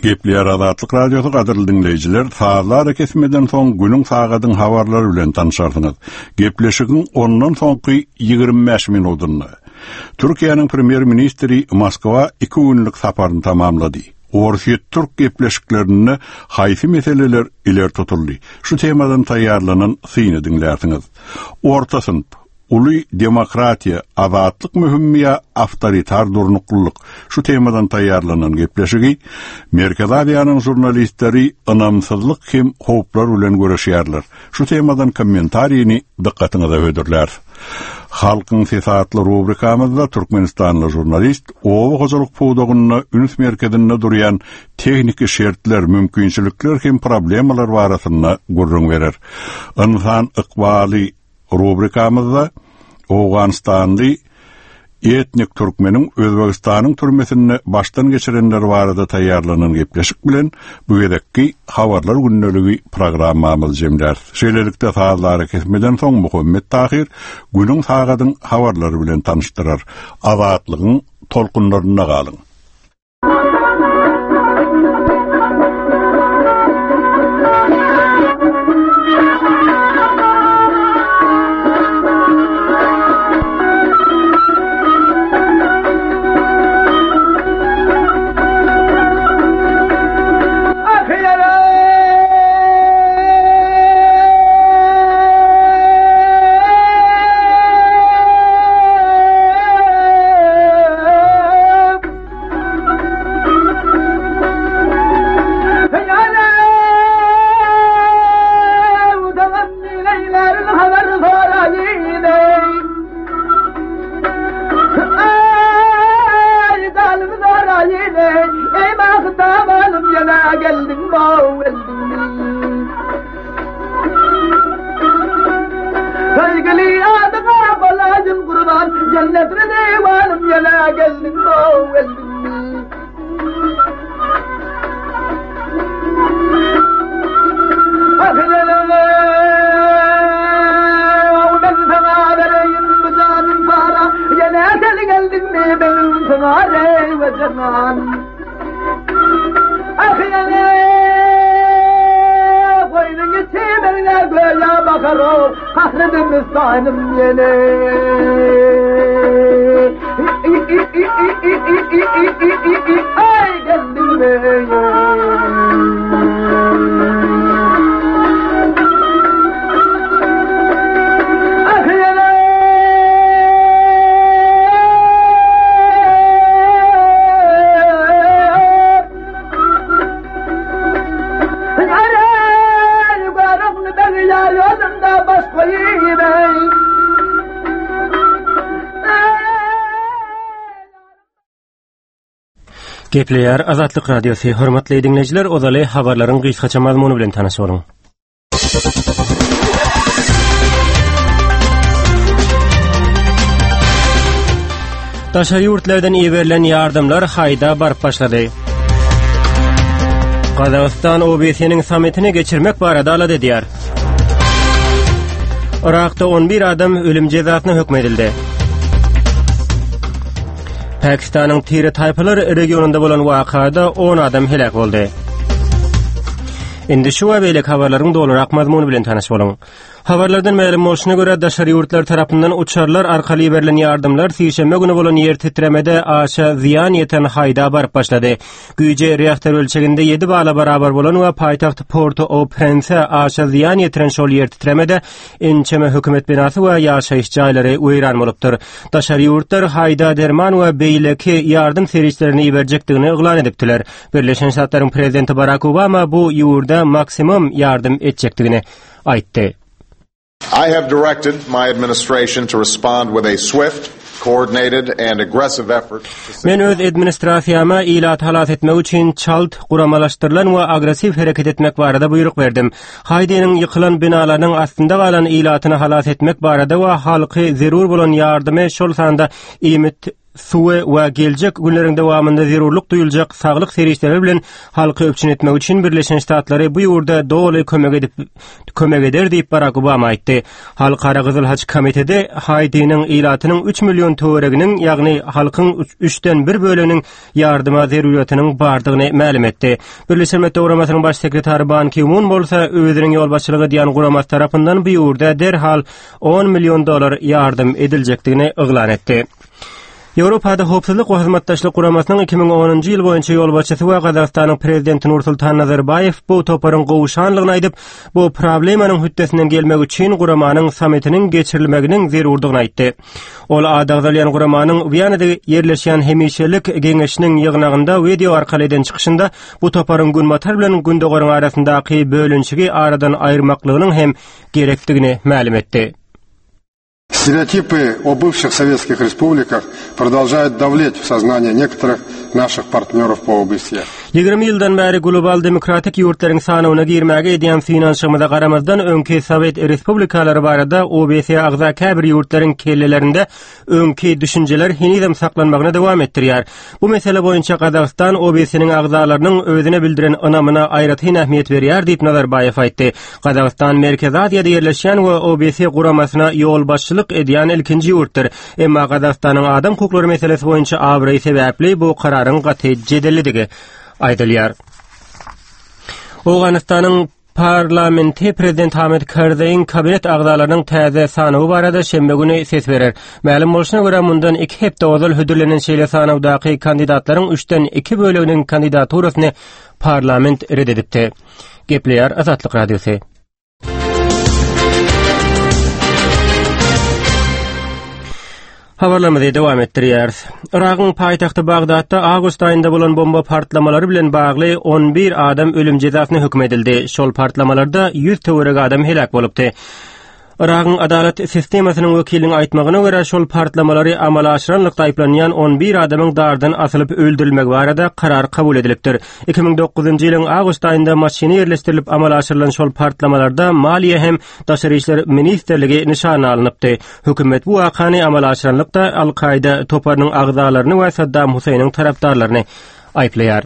Gepleýär Azatlyk Radiosy gadyrly diňleýjiler, sazly arakesmeden soň günüň sagadyň habarlary bilen tanşarsyňyz. Gepleşigiň ondan soňky 25 minudynda Türkiýäniň premýer-ministri Moskwa iki günlük saparyny tamamlady. Orsýet-türk gepleşiklerinde haýsy meseleler ileri tutuldy? Şu temadan taýýarlanan syny diňlärsiňiz. Orta synp, uly demokratiýa, azatlyk möhümmi ýa awtoritar durnuklylyk? Şu temadan taýýarlanan gepleşigi Merkezi Aziýanyň žurnalistleri ynamsyzlyk hem howplar bilen göreşýärler. Şu temadan kommentarini dykgatyňyza hödürläris. Halkyň sesi atly rubrikamyzda türkmenistanly žurnalist oba hojalyk pudagynda üns merkezinde durýan tehniki şertler, mümkinçilikler hem problemalar barasynda gürrüň berer. Ynsan ykbaly rubrikamyzda Owganystanly etnik türkmeniň Özbegistanyň türmesinde başdan geçirenleri barada taýýarlanan gepleşik bilen bu gezekki Habarlar gündeligi programmamyzy jemläris. Şeýlelikde sazly arakesmeden soň Muhammet Tahyr günüň sagadyň habarlary bilen tanyşdyrar. Azatlygyň tolkunlarynda galyň. Gepleýär Azatlyk Radiosy. Hormatly diňleýjiler, ozaly habarlaryň gysgaça mazmuny bilen tanyş boluň. Daşary ýurtlardan iberilen ýardamlar haýda baryp başlady. Gazagystan OBSE-niň sammitini geçirmek barada alada edýär. Yrakda 11 adam ölüm jezasyna höküm edildi. Pakistanyň Tire taýpalar regionynda bolan wakada 10 adam heläk boldy. Indi şu we beýleki habarlaryň dolurak mazmuny bilen tanyş boluň. Habarlardan mälim bolşuna görä, daşary ýurtlar tarapyndan uçarlar arkaly iberilen ýardamlar sişenbe güni bolan ýer titremede aşa zyýan ýeten Haýda baryp başlady. Güýji reaktor ölçeginde 7 bala barabar bolan we paýtagt Porto-au-Prense aşa zyýan ýetiren şol ýer titremede ençeme hökümet binasy we ýaşaýyş jaýlary weýran bolupdyr. Daşary ýurtlar Haýda derman we beýleki ýardam serişdelerini iberjekdigini yglan edipdiler. Birleşen Ştatlaryň prezidenti Barak Obama bu ýurda maksimum ýardam etjekdigini aýtdy. I have directed my administration to respond with a swift, coordinated and aggressive effort Men öz administrasiýama ilaty halas etmek üçin çalt, guramalaşdyrylan we agressiw hereket etmek barada buýruk berdim. Haýdiniň ýykylan binalarynyň astynda galan ilatyny halas etmek barada we halky zerur bolan ýardymy, şol sanda iýmit, suwy we geljek günleriň dowamynda zerurlyk duýuljak saglyk serişdeleri bilen halky üpjün etmek üçin Birleşen Ştatlary bu ýurda doly kömek edip kömek eder diýip Barak Obama aýtdy. Halkara Gyzyl Haç komiteti Haýtiniň ilatynyň 3 million töwereginiň, ýagny halkyň üçden bir böleginiň ýardyma zerurýatynyň bardygyny mälim etdi. Birleşen Milletler Guramasynyň Baş sekretary Ban Ki-mun bolsa özüniň ýolbaşçylyk edýän guramasy tarapyndan bu ýurda derhal 10 million dollar ýardam ediljekdigini yglan etdi. Ýewropada Howpsuzlyk we Hyzmatdaşlyk Guramasynyň 2010-njy ýyl boýunça ýolbaşçysy we Gazagystanyň Prezidenti Nursultan Nazarbaýew bu toparyň gowşanlygyny aýdyp, bu problemanyň hötdesinden gelmek üçin guramanyň sammitiniň geçirilmeginiň zerurdygyny aýtdy. Ol ady agzalýan guramanyň Wiýanada ýerleşýän hemişelik geňeşiniň ýygnagynda wideo arkaly eden çykyşynda bu toparyň Günbatar bilen Gündogaryň arasyndaky bölünişigi aradan aýyrmaklygynyň hem gerekdigini mälim etdi. Стереотипы о бывших советских республиках продолжают давлеть в сознание некоторых наших партнеров по ОБСЕ. 20 ýyldan bäri global demokratik ýurtlaryň sanawyna girmäge edýän synanyşygymyza garamazdan, öňki sowet respublikalary barada OBSE agza käbir ýurtlaryň kellelerinde öňki düşünjeler henizem saklanmagyny dowam etdirýär. Bu mesele boýunça Gazagystan OBSE-niň agzalarynyň özüne bildiren ynamyna aýratyn ähmiýet berýär diýip Nazarbaýew aýtdy. Gazagystan Merkezi Aziýada ýerleşýän we OBSE guramasyna ýolbaşçylyk edýän ilkinji ýurtdyr. Emma Gazagystanyň adam hukuklary meselesi boýunça abraýy sebäpli bu kararyň gaty jedellidigi aýdylýar. Owganystanyň Parlamenti prezident Hamid Karzaýyň kabinet agzalarynyň täze sanawy barada şenbe güni ses berer. Mälim bolşuna görä, mundan iki hepde ozal hödürlenen şeýle sanawdaky kandidatlaryň üçden iki böleginiň kandidaturasyny parlament ret edipdi. Gepleýär Azatlyk Radiosy. Habarlarymyzy dowam etdirýäris. Yragyň paýtagty Bagdatda awgust aýynda bolan bomba partlamalary bilen bagly 11 adam ölüm jezasyna höküm edildi. Şol partlamalarda 100 töweregi adam heläk bolupdy. Yragyň adalat sistemasynyň wekiliniň aýtmagyna görä, şol partlamalary amala aşyranlykda aýyplanýan 11 adamyň dardan asylyp öldürilmegi barada karar kabul edilipdir. 2009-njy ýylyň awgust aýynda maşyna ýerleşdirilip amala aşyrylan şol partlamalarda maliýe hem Daşary işler ministrligi nyşana alnypdy. Hökümet bu wakany amala aşyranlykda Al-Kaýda toparynyň agzalaryny we Saddam Huseýniň tarapdarlaryny aýyplaýar.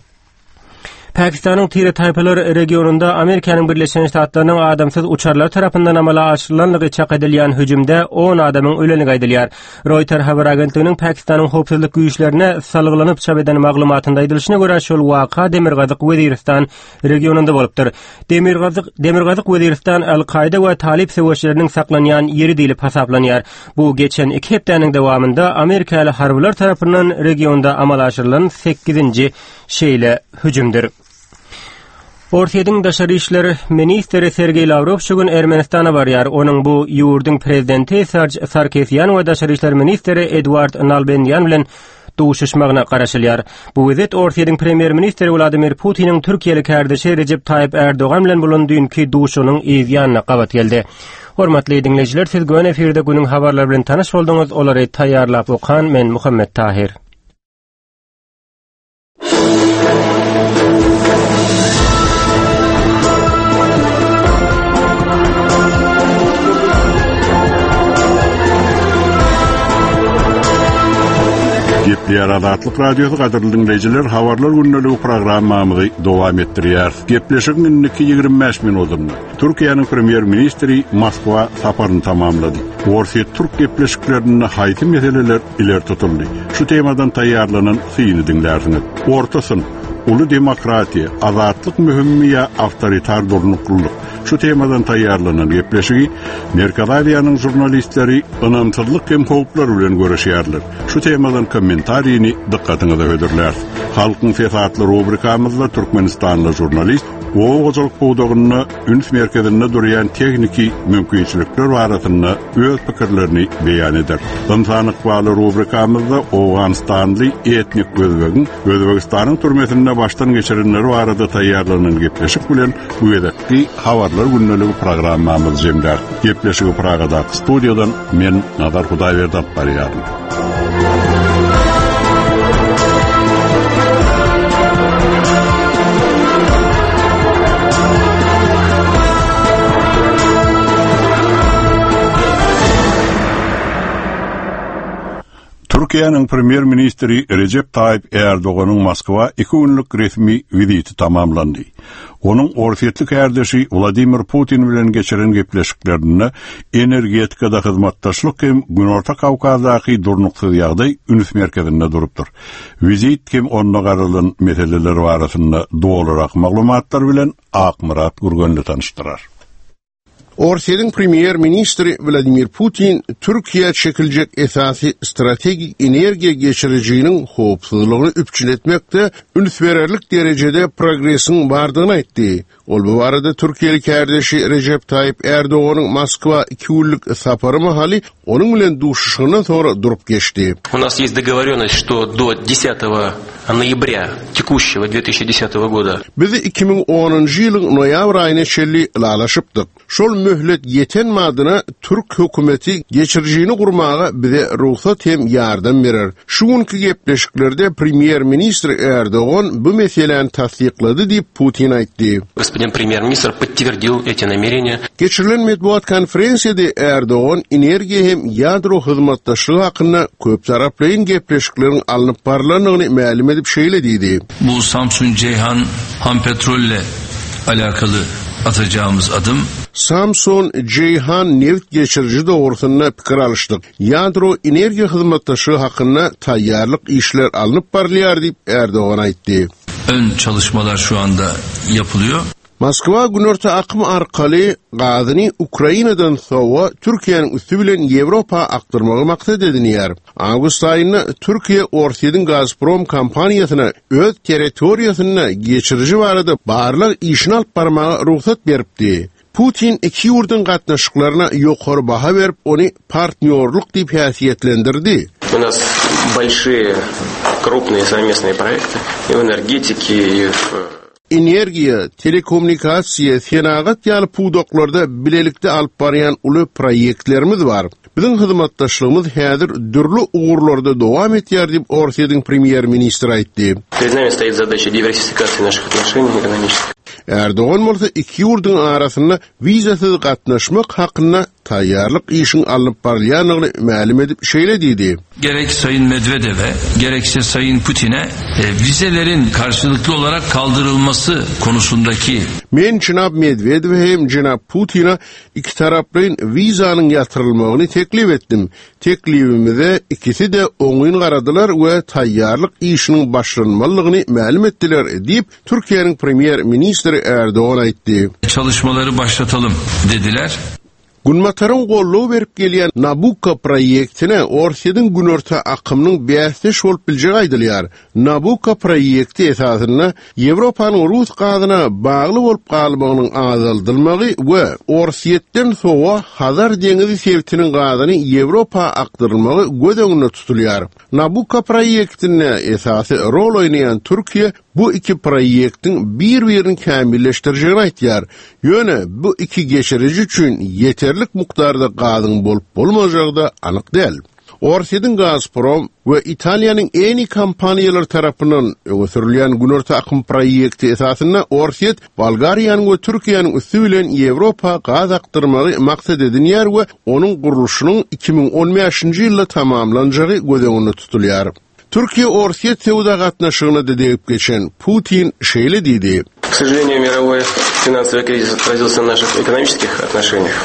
Pakistanyň tire-taýpalar regionynda Amerikanyň Birleşen Ştatlarynyň adamsyz uçarlary tarapyndan amala aşyrylanlygy çak edilýän hüjümde 10 adamyň ölendigi aýdylýar. Reuters habar agentliginiň Pakistanyň howpsuzlyk güýçlerine salgylanyp çap eden maglumatynda aýdylyşyna görä, şol waka Demirgazyk Weziristan regionynda bolupdyr. Demirgazyk Demirgazyk Weziristan Al-Kaýda we Talyp söweşleriniň saklanýan ýeri diýlip hasaplanýar. Bu geçen iki hepdäniň dowamynda amerikaly harbylar tarapyndan regionda amala aşyrylan sekizinji şeýle hüjümdir. Orsýetiň daşary işler ministri Sergeý Lawrow şu gün Ermenistana barýar. Onuň bu ýurduň prezidenti Sarj Sarkisýan we daşary işler ministri Eduard Nalbendýan bilen duşuşmagyna garaşylýar. Bu wizit Orsýetiň premýer-ministri Wladimir Putiniň türkiýeli kärdeşi Rejep Taýyp Ärdogan bilen bolan düýnki duşuşygynyň yz ýanyna gabat geldi. Hormatly diňleýjiler, siz göni efirde günüň habarlary bilen tanyş bolduňyz, olary taýýarlap okan men Muhammet Tahyr. Gepleýär Azatlyk Radiosy gadyrly diňleýjiler, habarlar gündeligi programmamyzy dowam etdirýäris. Gepleşigiň indiki 25 minutynda Türkiýäniň premýer-ministri Moskwa saparyny tamamlady. Orsýet-türk gepleşiklerinde haýsy meseleler ileri tutuldy? Şu temadan taýýarlanan syny diňlärsiňiz. Orta synp, uly demokratiýa, azatlyk möhümmi ýa awtoritar durnuklylyk? Şu temadan taýýarlanan gepleşigi Merkezi Aziýanyň žurnalistleri ynamsyzlyk hem howplar bilen göreşýärler. Şu temadan kommentarini dykgatyňyza hödürläris. Halkyň sesi atly rubrikamyzda türkmenistanly žurnalist oba hojalyk pudagynda üns merkezinde durýan tehniki mümkinçilikler barasynda öz pikirlerini beýan eder. Ynsan ykbaly rubrikamyzda owganystanly etnik özbegiň Özbegistanyň türmesinde başdan geçirenleri barada taýýarlanan gepleşik bilen bu gezekki Habarlar gündeligi programmamyzy jemläris. Gepleşigi Pragadaky studiýadan men Nazar Hudaýberdi alyp barýaryn. Türkiýäniň premýer-ministri Rejep Taýyp Ärdoganyň Moskwa iki günlük resmi wiziti tamamlandy. Onuň orsýetli kärdeşi Wladimir Putin bilen geçiren gepleşiklerinde energetikada hyzmatdaşlyk hem Günorta Kawkazdaky durnuksyz ýagdaý üns merkezinde durupdyr. Wizit hem onda garalan meseleler barasynda dolurak maglumatlar bilen Akmyrat Gürgenli tanyşdyrar. Orsýetiň premýer-ministri Wladimir Putin Türkiýä çekiljek esasy strategik energiýa geçirijiniň howpsuzlygyny üpjün etmekde üns bererlik derejede progresiň bardygyny aýtdy. Ol bu barada türkiýeli kärdeşi Rejep Taýyp Ärdoganyň Moskwa iki günlük sapary mahaly onuň bilen duşuşygyndan soňra durup geçdi. U nas ýest dogovorýonnost, şto do desatogo noýabrýa tekushçego 2010 goda. Biz 2010-njy ýylyň noýabr aýyna çenli ylalaşypdyk. Şol möhlet ýeten badyna türk hökümeti geçirijini gurmaga bize rugsat hem ýardam berer. Şu günki gepleşiklerde premýer-ministr Erdogan bu meseläni tassyklady diýip, Putin aýtdy. Gospodin premýer-ministr podtwerdil eti namereniýa. Geçirilen metbugat konferensiýada Erdogan energiýa hem ýadro hyzmatdaşlygy hakynda köptaraplaýyn gepleşikleriň alnyp barlandygyny mälim edip şeýle diýdi. Bu Samsun-Jeýhan Hampetrol ile alakaly atacağymyz adym. Samsun-Jeýhan nebit geçiriji dogrusynda pikir alyşdyk. Ýadro energiýa hyzmatdaşlygy hakynda taýýarlyk işler alnyp barylýar diýip, Erdogan aýtdy. Ön çalışmalar şu anda yapylıyor. Moskwa Günorta akym arkaly gazyny Ukrainadan sowa Türkiýäniň üsti bilen Ýewropa akdyrmagy maksat edinýär. Awgust aýynda Türkiýe Orsýetiň Gazprom kompaniýasyna öz territoriýasynda geçiriji barada barlag işini alyp barmaga rugsat beripdi. Putin iki ýurduň gatnaşyklaryna ýokary baha berip, ony partnýorlyk diýip häsiýetlendirdi. U nas bolşiýe, krupnyýe sowmestnyýe proýekty i w energetike, i w. Energiýa, telekommunikasiýa, senagat ýaly pudaklarda bilelikde alyp barýan uly proýektlerimiz bar. Biziň hyzmatdaşlygymyz häzir dürli ugurlarda dowam etýär diýip, Orsýetiň premýer-ministri aýtdy. Pred nami stoit zadaça diwersifikasiýa naših otnoşeniý ekonomiçeskih. Erdogan bolsa iki ýurduň arasynda wizasyz gatnaşmak hakynda taýýarlyk işiň alnyp barylýandygyny mälim edip şeýle diýdi. Gerek Sayın Medvedewe, gerekse Sayın Putine vizelerin karşılıklı olarak kaldırılması konusundaki. Men jenap Medwedewe hem jenap Putine ikitaraplaýyn wizanyň ýatyrylmagyny teklip etdim. Teklibimize ikisi-de oňyn garadylar we taýýarlyk işiniň başlanmalydygyny mälim etdiler, diýip, Türkiýäniň Premýer-ministri Erdogan aýtdy. Çalışmaları başlatalım dediler. Günbataryň goldaw berip gelýän Nabukko proýektine Orsýetiň Günorta akymynyň bäsdeş bolup biljegi aýdylýar. Nabukko proýekti esasynda Ýewropanyň rus gazyna bagly bolup galmagynyň azaldylmagy we Orsýetden sowa Hazar deňizi sebitiniň gazyny Ýewropa akdyrylmagy göz öňünde tutulýar. Nabukko proýektinde esasy rol oýnaýan Türkiýe bu iki proýektiň bir-birini kämilleşdirjegini aýtýar. Ýöne bu iki geçiriji üçin ýeterlik mukdarda gazyň bolup-bolmajagy-da anyk däl. Orsýetiň Gazprom we Italiýanyň Eni kompaniýalary tarapyndan öňe sürülýän Günorta akym proýekti esasynda Orsýet Bolgariýanyň we Türkiýäniň üsti bilen Ýewropa gaz akdyrmagy maksat edinýär we onuň gurluşynyň 2015-nji ýylda tamamlanjagy göz öňünde tutulýar. Türkiýe-Orsýet söwda gatnaşygyna-da degip geçen Putin şeýle diýdi. K sožaleniýu, mirowoý finansowyý krizis otrazilsya na naših ekonomiçeskih otnoşeniýah.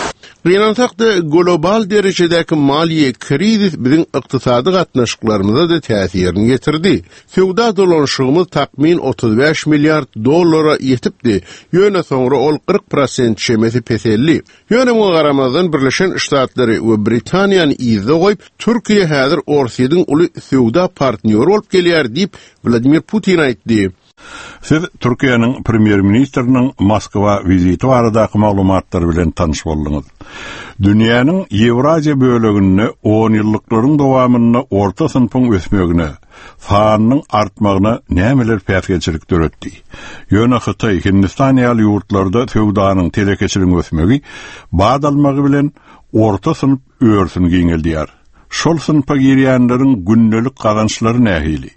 Gynansak-da, global derejedäki maliýe krizis biziň ykdysady gatnaşyklarymyza-da täsirini ýetirdi. Söwda dolanyşygymyz takmyn 35 milliard dollara ýetipdi, ýöne soňra ol 40 prosent çemesi peseldi. Ýöne muňa garamazdan Birleşen Ştatlary we Britaniýany yzda goýup, Türkiýe häzir Orsýetiň uly söwda partnýory bolup gelýär diýip, Wladimir Putin aýtdy. Siz Türkiýäniň premýer-ministriniň Moskwa wiziti baradaky maglumatlar bilen tanyş bolduňyz. Dünýäniň Ýewraziýa böleginde onýyllyklaryň dowamynda orta synpyň ösmegine, sanynyň artmagyna nämeler päsgelçilik döretdi? Ýöne Hytaý, Hindistan ýaly ýurtlarda söwdanyň, telekeçiligiň ösmegi bat almagy bilen orta synp örüsini giňeldýär. Şol synpa girýänleriň gündelik gazançlary nähili?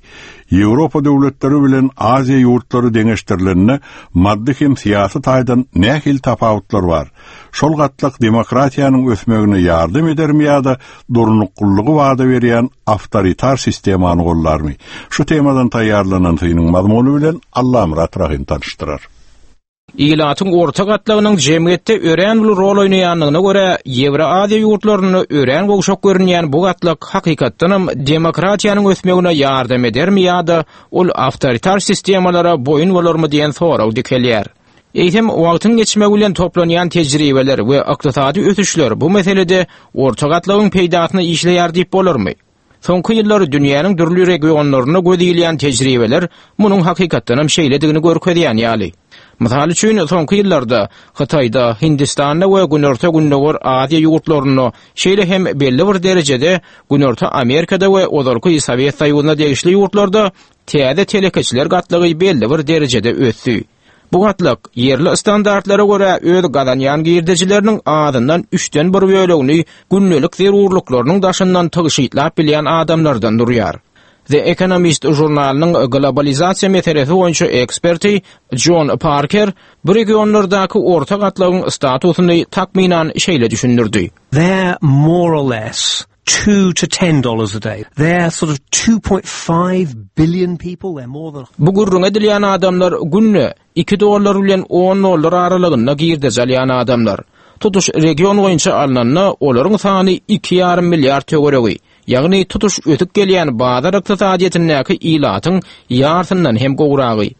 Ýewropa döwletleri bilen Aziýa ýurtlary deňeşdirilende maddy hem syýasy taýdan nähili tapawutlar bar? Şol gatlak demokratiýanyň ösmegine ýardam edermi ýa-da durnuklylygy wada berýän awtoritar sistemany goldarmy? Şu temadan taýýarlanan synyň mazmuny bilen Allamyrat Rahym tanyşdyrar. Ilatyň orta gatlagynyň jemgyýetde örän uly rol oýnaýandygyna görä, Ýewroaziýa ýurtlarynda örän gowşak görünýän bu gatlak hakykatdanam demokratiýanyň ösmegine ýardam edermi ýa-da ol awtoritar sistemalara boýun bolarmy diýen sorag dikelýär. Eýsem, wagtyň geçmegi bilen toplanýan tejribeler we ykdysady ösüşler bu meselede orta gatlagyň peýdasyna işleýär diýip bolarmy? Soňky ýyllar dünýäniň dürli regionlarynda göz ilýän tejribeler munuň hakykatdanam şeýledigini görkezýän ýaly. Mysal üçin, soňky ýyllarda Hytaýda, Hindistanda we Günorta-Gündogar Aziýa ýurtlarynda, şeýle hem belli bir derejede Günorta Amerikada we ozalky Sowet Soýuzyna degişli ýurtlarda täze telekeçiler gatlagy belli bir derejede ösdi. Bu gatlak, ýerli standartlara görä öz gazanýan girdejileriniň azyndan üçden bir bölegini gündelik zerurlyklarynyň daşyndan tygşytlap bilýän adamlardan durýar. The Economist žurnalynyň globalizasiýa meselesi boýunça eksperti Jon Parker bu regionlardaky orta gatlagyň statusyny takmynan şeýle düşündirdi. They're more or less two to ten dollars a day. They're sort of 2.5 billion people. They're more than Bu gürrüňi edilýän adamlar günde iki dollar bilen on dollar aralygynda girdeji alýan adamlar. Tutuş region boýunça alnanda olaryň sany iki ýarym milliard töweregi, ýagny tutuş ösüp gelýän bazar ykdysadyýetindäki ilatyň ýarsyndan hem gowragy.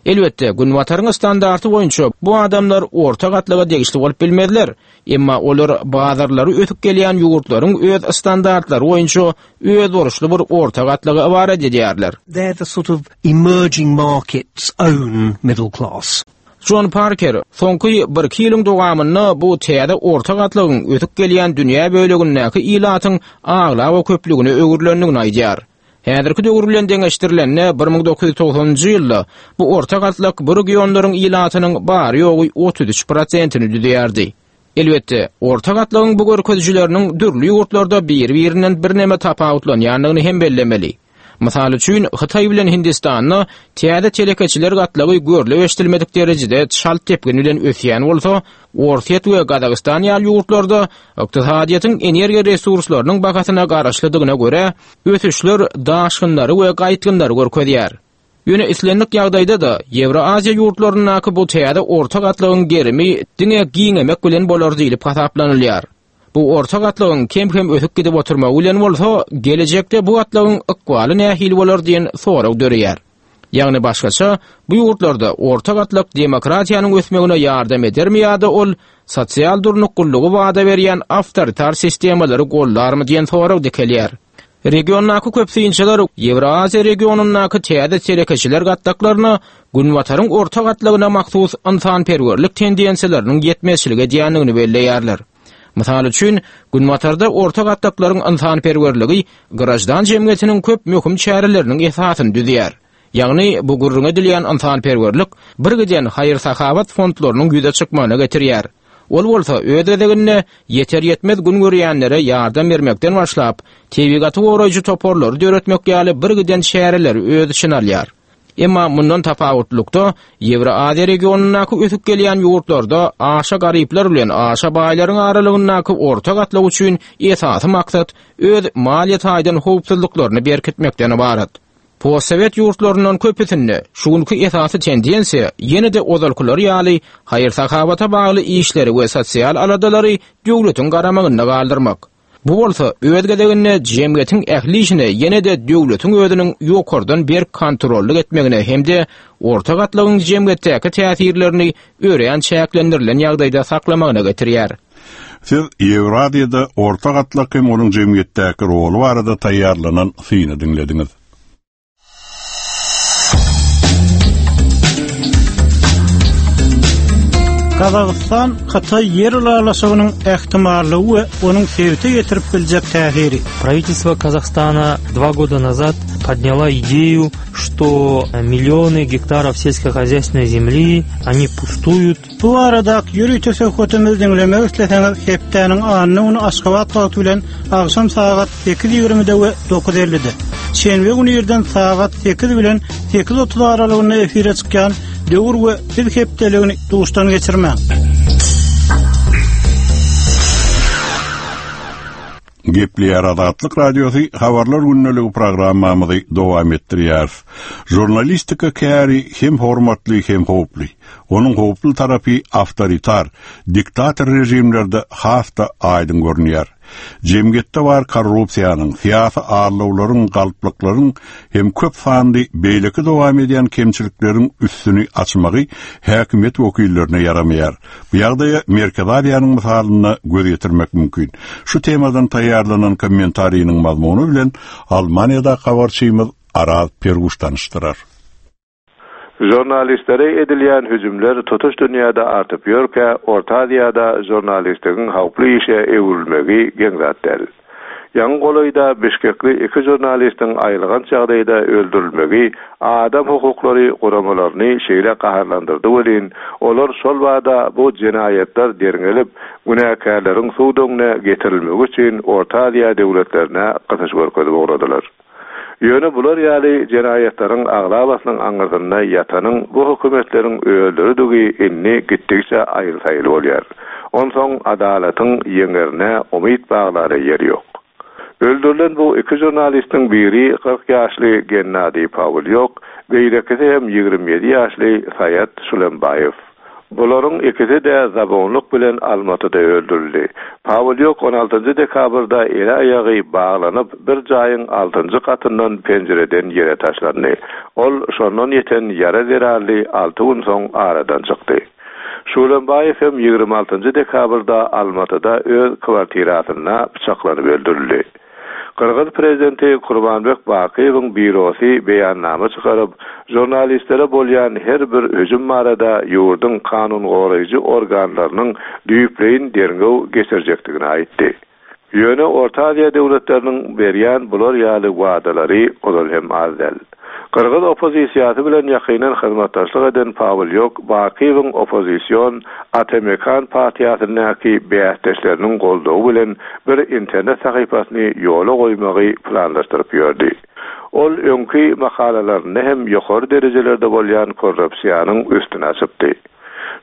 Elbetde, Günbataryň standarty boýunça bu adamlar orta gatlaga degişli bolup bilmezler, emma olar bazarlary ösüp gelýän ýurtlaryň öz standartlary boýunça özboluşly bir orta gatlaga ybarat edýärler. They're the sort of emerging markets own middle class. Jon Parker, Soňky birki ýylyň dowamynda bu täze orta gatlagyň ösüp gelýän dünýä bölegindäki ilatyň aglaba köplügine öwrülendigini aýdýar. Häzirki döwür bilen deňeşdirilende, 1990-njy ýylda bu orta gatlak bu regionlaryň ilatynyň bary-ýogy 33 prosentini düzýärdi. Elbetde, orta gatlagyň bu görkezijileriniň dürli ýurtlarda biri-birinden birneme tapawutlanýandygyny hem bellemeli. Mysal üçin, Hytaý bilen Hindistanda täze telekeçiler gatlagy görlüp-eşidilmedik derejede çalt depgin bilen ösýän bolsa, Orsýet we Gazagystan ýaly ýurtlarda ykdysadyýetiň energiýa resurslarynyň bahasyna garaşlydygyna görä, ösüşler daşgynlary we gaýtgynlary görkezýär. Ýöne islendik ýagdaýda-da, Ýewroaziýa ýurtlaryndaky bu täze orta gatlagyň gerimi diňe giňemek bilen bolar diýlip hasaplanylýar. Bu orta gatlagyň kem-kem ösüp gidip oturmagy bilen bolsa, gelejekde bu gatlagyň ykbaly nähili bolar diýen sorag döreýär. Ýagny başgaça, bu ýurtlarda orta gatlak demokratiýanyň ösmegine ýardam edermi ýa-da ol sosial durnuklylygy wada berýän awtoritar sistemalary goldarmy diýen sorag dikelýär. Regiondaky köp synçylar Ýewroaziýa regionyndaky täze telekeçiler gatlaklaryna Günbataryň orta gatlagyna mahsus ynsanperwerlik tendensiýalarynyň ýetmezçilik edýändigini belleýärler. Mysal üçin, Günbatarda orta gatlaklaryň ynsanperwerligi graždan jemgyýetiniň köp möhüm çäreleriniň esasyny düzýär. Ýagny, bu gürrüňi edilýän ynsanperwerlik birgiden haýyr-sahawat fondlarynyň ýüze çykmagyna getirýär. Ol bolsa öz gezeginde ýeter-ýetmez gün görýänlere ýardam bermekden başlap, tebigaty goraýjy toparlary döretmek ýaly birgiden çäreleri öz içine alýar. Emma mundan tapawutlylykda, Ýewroaziýa regionyndaky ösüp gelýän ýurtlarda aşa garyplar bilen aşa baýlaryň aralygyndaky orta gatlak üçin esasy maksat öz maliýe taýdan howpsuzlyklaryny berkitmekden ybarat. Postsowet ýurtlaryndan köpüsinde şu günki esasy tendensiýa ýene-de ozalkylar ýaly haýyr-sahawata bagly işleri we sosial aladalary döwletiň garamagynda galdyrmak. Bu bolsa öz gezeginde jemgyýetiň ähli işine ýene-de döwletiň özüniň ýokardan berk kontrollyk etmegine hem-de orta gatlagyň jemgyýetdäki täsirlerini örän çäklendirilen ýagdaýda saklamagyna getirýär. Siz Ýewraziýada orta gatlak hem onuň jemgyýetdäki roly barada taýýarlanan syny diňlediňiz. Gazagystan Hytaý ýer ylalaşygynyň ähtimallygy we onuň sebite ýetirip biljek täsiri. Правительство Казахстана два года назад подняла идею, что миллионы гектаров сельскохозяйственной земли, они пустуют. Bu baradaky ýörite söhbetimizi diňlemek isleseňiz, hepdäniň anna güni Aşgabat wagty bilen agşam sagat 8:20-de we 9:50-de, şenbe güni irden sagat 8 bilen 8:30 aralygynda efire çykýan Döwür we Biz hepdeligini duşdan geçirmäň. Gepleýär Azatlyk Radiosy Habarlar gündeligi programmamyzy dowam etdirýäris. Žurnalistika käri hem hormatly hem howply. Onuň howply tarapy awtoritar, diktator režimlerde has-da aýdyň görünýär. Jemgyýetde bar korrupsiýanyň, syýasy aldawlaryň, galplyklaryň hem köp sanly beýleki dowam edýän kemçilikleriň üstüni açmagy häkimiýet wekillerine ýaramaýar. Bu ýagdaýa Merkezi Aziýanyň mysalynda göz ýetirmek mümkin. Şu temadan taýýarlanan kommentariniň mazmuny bilen Almaniýadaky habarçymyz Araz Perguş tanyşdyrar. Žurnalistlere edilýän hüjümler tutuş dünýäde artyp ýörkä, Orta Aziýada žurnalistligiň howply işe öwrülmegi geň zat däl. Ýaňy golaýda bişkekli iki žurnalistiň aýylganç ýagdaýda öldürilmegi adam hukuklary guramalaryny şeýle gaharlandyrdy welin, olar şol bada bu jenaýatlar derňelip, günäkärleriň sud öňüne getirilmegi üçin Orta Aziýa döwletlerine gysyş görkezip ugradylar. Ýöne bular ýaly jenaýatlaryň aglabasynyň aňyrsynda ýatanyň bu hökümetleriň özleridigi indi gitdigiçe aýyl-saýyl bolýar. Onsoň adalatyň ýeňerine umyt baglara ýer ýok. Öldürilen bu iki žurnalistiň biri 40 ýaşly Gennadiý Pawlýok, beýlekisi hem 27 ýaşly Saýat Şulembaýew. Bularyň ikisi-de zabunlyk bilen Almatyda öldürildi. Pawlýuk on altynjy dekabrda eli-aýagy baglanyp, bir jaýyň altynjy gatyndan penjireden ýere taşlandy. Ol şondan ýeten ýara zerarly alty gün soň aradan çykdy. Şulembaýew hem 26 nji dekabrda Almatyda öz kwartirasynda pyçaklanyp öldürildi. Gyrgyz prezidenti Kurmanbek Bakyýewiň býurosy beýannama çykaryp, žurnalistlere bolýan her bir hüjüm barada ýurduň kanungoraýjy organlarynyň düýpleýin derňew geçirjekdigini aýtdy. Ýöne Orta Aziýa döwletleriniň berýän bular ýaly wadalary ozal hem az däl. Gyrgyz oppozisiýasy bilen ýakyndan hyzmatdaşlyk eden Pawlýok Bakyýewiň oppozision Ata-Mekan partiýasyndaky bäsdeşleriniň goldawy bilen bir internet sahypasyny ýola goýmagy planlaşdyryp ýördi. Ol öňki makalalarynda hem ýokary derejelerde bolýan korrupsiýanyň üstüni açypdy.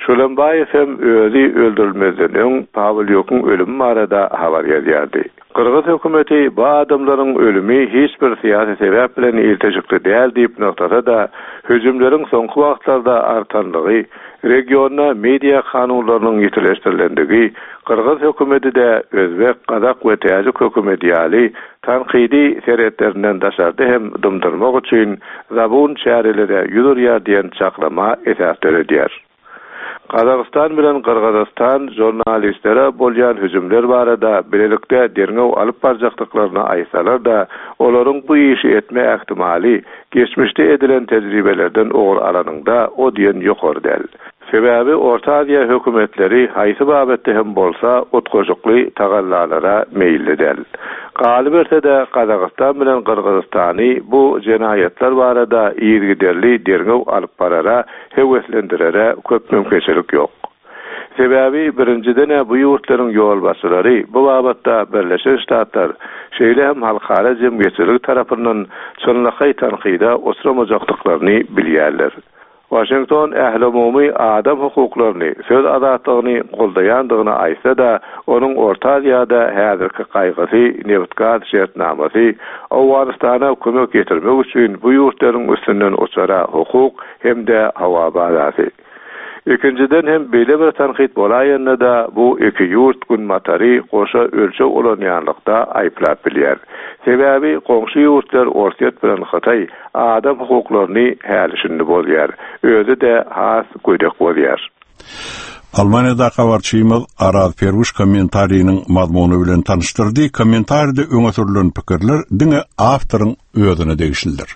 Şulembaýew hem özi öldürilmezden öň Pawlýukyň ölümi barada habar ýazýardy. Gyrgyz hökümeti bu adamlaryň ölümi hiç bir syýasy sebäp bilen ilteşikli däl diýip nygtasa-da, hüjümleriň soňky wagtlarda artanlygy, regionda media kanunlarynyň ýitileşdirilendigi, gyrgyz hökümeti-de özbek, gazak we täjik hökümeti ýaly tankydy serhetlerinden daşarda hem dymdyrmak üçin zabun çärelere ýüz urýar diýen çaklama esas döredýär. Gazagystan bilen Gyrgyzystan žurnalistlere bolýan hüjümler barada bilelikde derňew alyp barjakdyklaryny aýtsalar-da, olaryň bu işi etme ähtimaly, geçmişde edilen tejribelerden ugur alanyňda, o diýen ýokary däl. Sebäbi Orta Aziýa hökümetleri haýsy babatda hem bolsa utgaşykly tagallalara meýilli däl. Galyberse-de, Gazagystan bilen Gyrgyzystany bu jenaýatlar barada yzygiderli derňew alyp barara höweslendirere köp mümkinçilik ýok. Sebäbi, birinjiden-ä bu ýurtlaryň ýolbaşçylary bu babatda Birleşen Ştatlar, şeýle hem halkara jemgyýetçiligi tarapyndan çynlakaý tankyda uçramajakdyklaryny bilýärler. Waşington ählumumy adam hukuklaryny, söz azatlygyny goldaýandygyny aýtsa-da, onuň Orta Aziýada häzirki gaýgysy nebit-gaz şertnamasy, Owganystana kömek ýetirmek üçin bu ýurtlaryň üstünden uçara hukuk hem-de howa bazasy. Ikinjiden hem beýle bir tankyt bolaýanda-da bu iki ýurt Günbatary goşa ölçeg ulanýanlykda aýyplap bilýär. Sebäbi goňşy ýurtlar Orsýet bilen Hytaý adam hukuklaryny häli-şindi bozýar. Özi-de has gödek bozýar. Almaniýadaky habarçymyz Araz Perwiş kommentariniň mazmuny bilen tanyşdyrdy. Kommentaride öňe sürlen pikirler diňe awtoryň özüne degişlidir.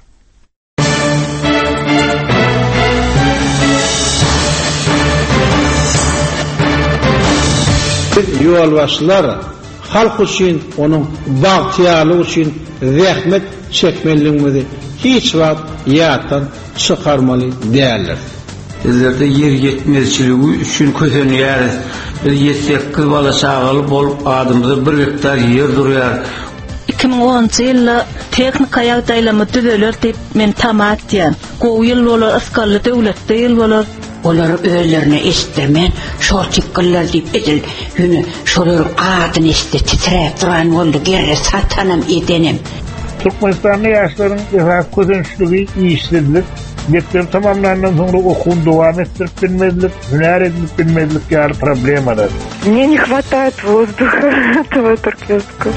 Biz ýolbaşçylar halk üçin, onuň bagtyýarlygy üçin zähmet çekmelidigimizi hiç wagt ýatdan çykarmaly däldiris. Bizlerde ýer ýetmezçiligi üçin kösenýäris. Biz ýedi-sekiz bala-çagaly bolup, adymyza bir gektar ýer durýar. 2010-njy ýylda tehnika ýagdaýlarymyz düzeler diýip men tama etýän. Gowy ýyl bolar, ysgally döwletli ýyl bolar. Olar özlerine eşitdirmän şor çykgynlar diýip edil ýöne şolaryň adyny eşitse titräp duran boldy gerre satanam edenem. Türkmenistanda ýaşlaryň esasy kösençligi işsizlik, mekdebi tamamlandan soňra okuwyny dowam etdirip bilmezlik, hünär edinip bilmezlik ýaly problemalar. Мне не хватает воздуха этого туркменского.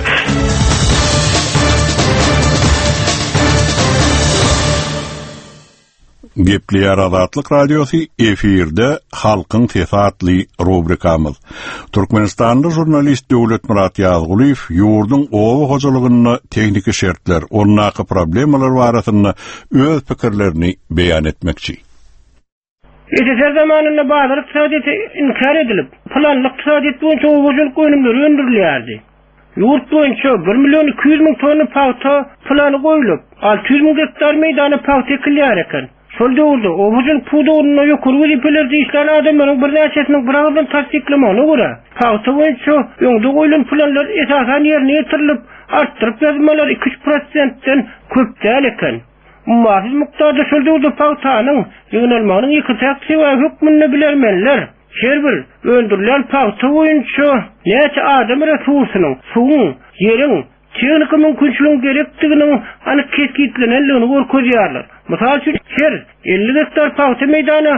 Gepleýär Azatlyk Radiosy efirde Halkyň sesi atly rubrikamyz. Türkmenistanly žurnalist Döwletmyrat Ýazgulyýew ýurduň oba hojalygynda tehniki şertler, ondaky problemalar barasynda öz pikirlerini beýan etmekçi. SSR zamanynda bazar ykdysadyýeti inkär edilip, planly ykdysadyýet boýunça oba hojalyk önümleri öndürilýärdi. Ýurt boýunça bir million 200 müň tonna pagta plany goýlup, 600 müň gektar meýdana pagta ekilýär eken. Şol döwürde oba hojalyk pudagynda ýokary wezipelerde işlän adamlaryň birnäçesiniň biragyzdan tassyklamagyna görä, pagta boýunça öňde goýlan planlar esasan ýerine ýetirilip, artdyryp ýazmalar iki-üç prosentden köp däl eken. Ummasyz mukdarda şol döwürde pagtanyň ýygnalmagynyň ýeke-täk sebäbi hökmünde bilermenler her bir öndürilýän pagta boýunça näçe adam resursynyň, suwuň, ýeriň, tehniki mümkinçiligiň gerekdiginiň anyk kesgitlenendigini görkezýärler. Mysal üçin, her 50 gektar pagta meýdana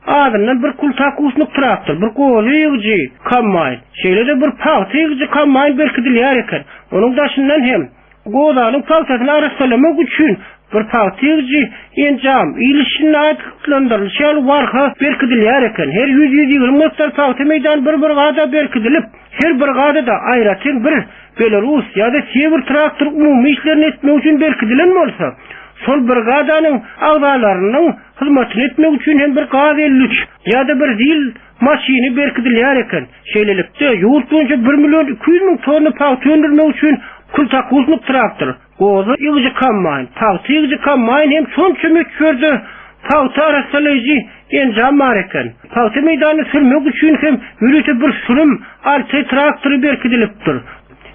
azyndan bir kultakusnik traktor, bir goza ýygyjy kombaýn, şeýle-de bir pagta ýygyjy kombaýn berkidilýär eken. Onuň daşyndan hem Gozanyň pagtasyny arassalamak üçin bir pagta ýygyjy enjam, il içinde atlandyrylyşy ýaly warka berkidilýär eken. Her ýüz-ýüz ýigrimi gektar pagta meýdany bir brigada berkidilip, her brigadada aýratyn bir Belarus ýa-da Sewr traktor umumy işlerini etmek üçin berkidilen bolsa, şol brigadanyň agzalarynyň hyzmatyny etmek üçin hem bir gaz 53 ýa-da bir zil maşyny berkidilýär eken. Şeýlelikde, ýurt boýunça bir million 200 müň tonna pagta öndürmek üçin kultakusnik traktor, goza ýygyjy kombaýn, pagta ýygyjy kombaýn hem şonça möçberde pagta arassalaýjy enjam bar eken. Pagta meýdanyny sürmek üçin hem ýörite bir sürüm Altaý traktory berkidilipdir.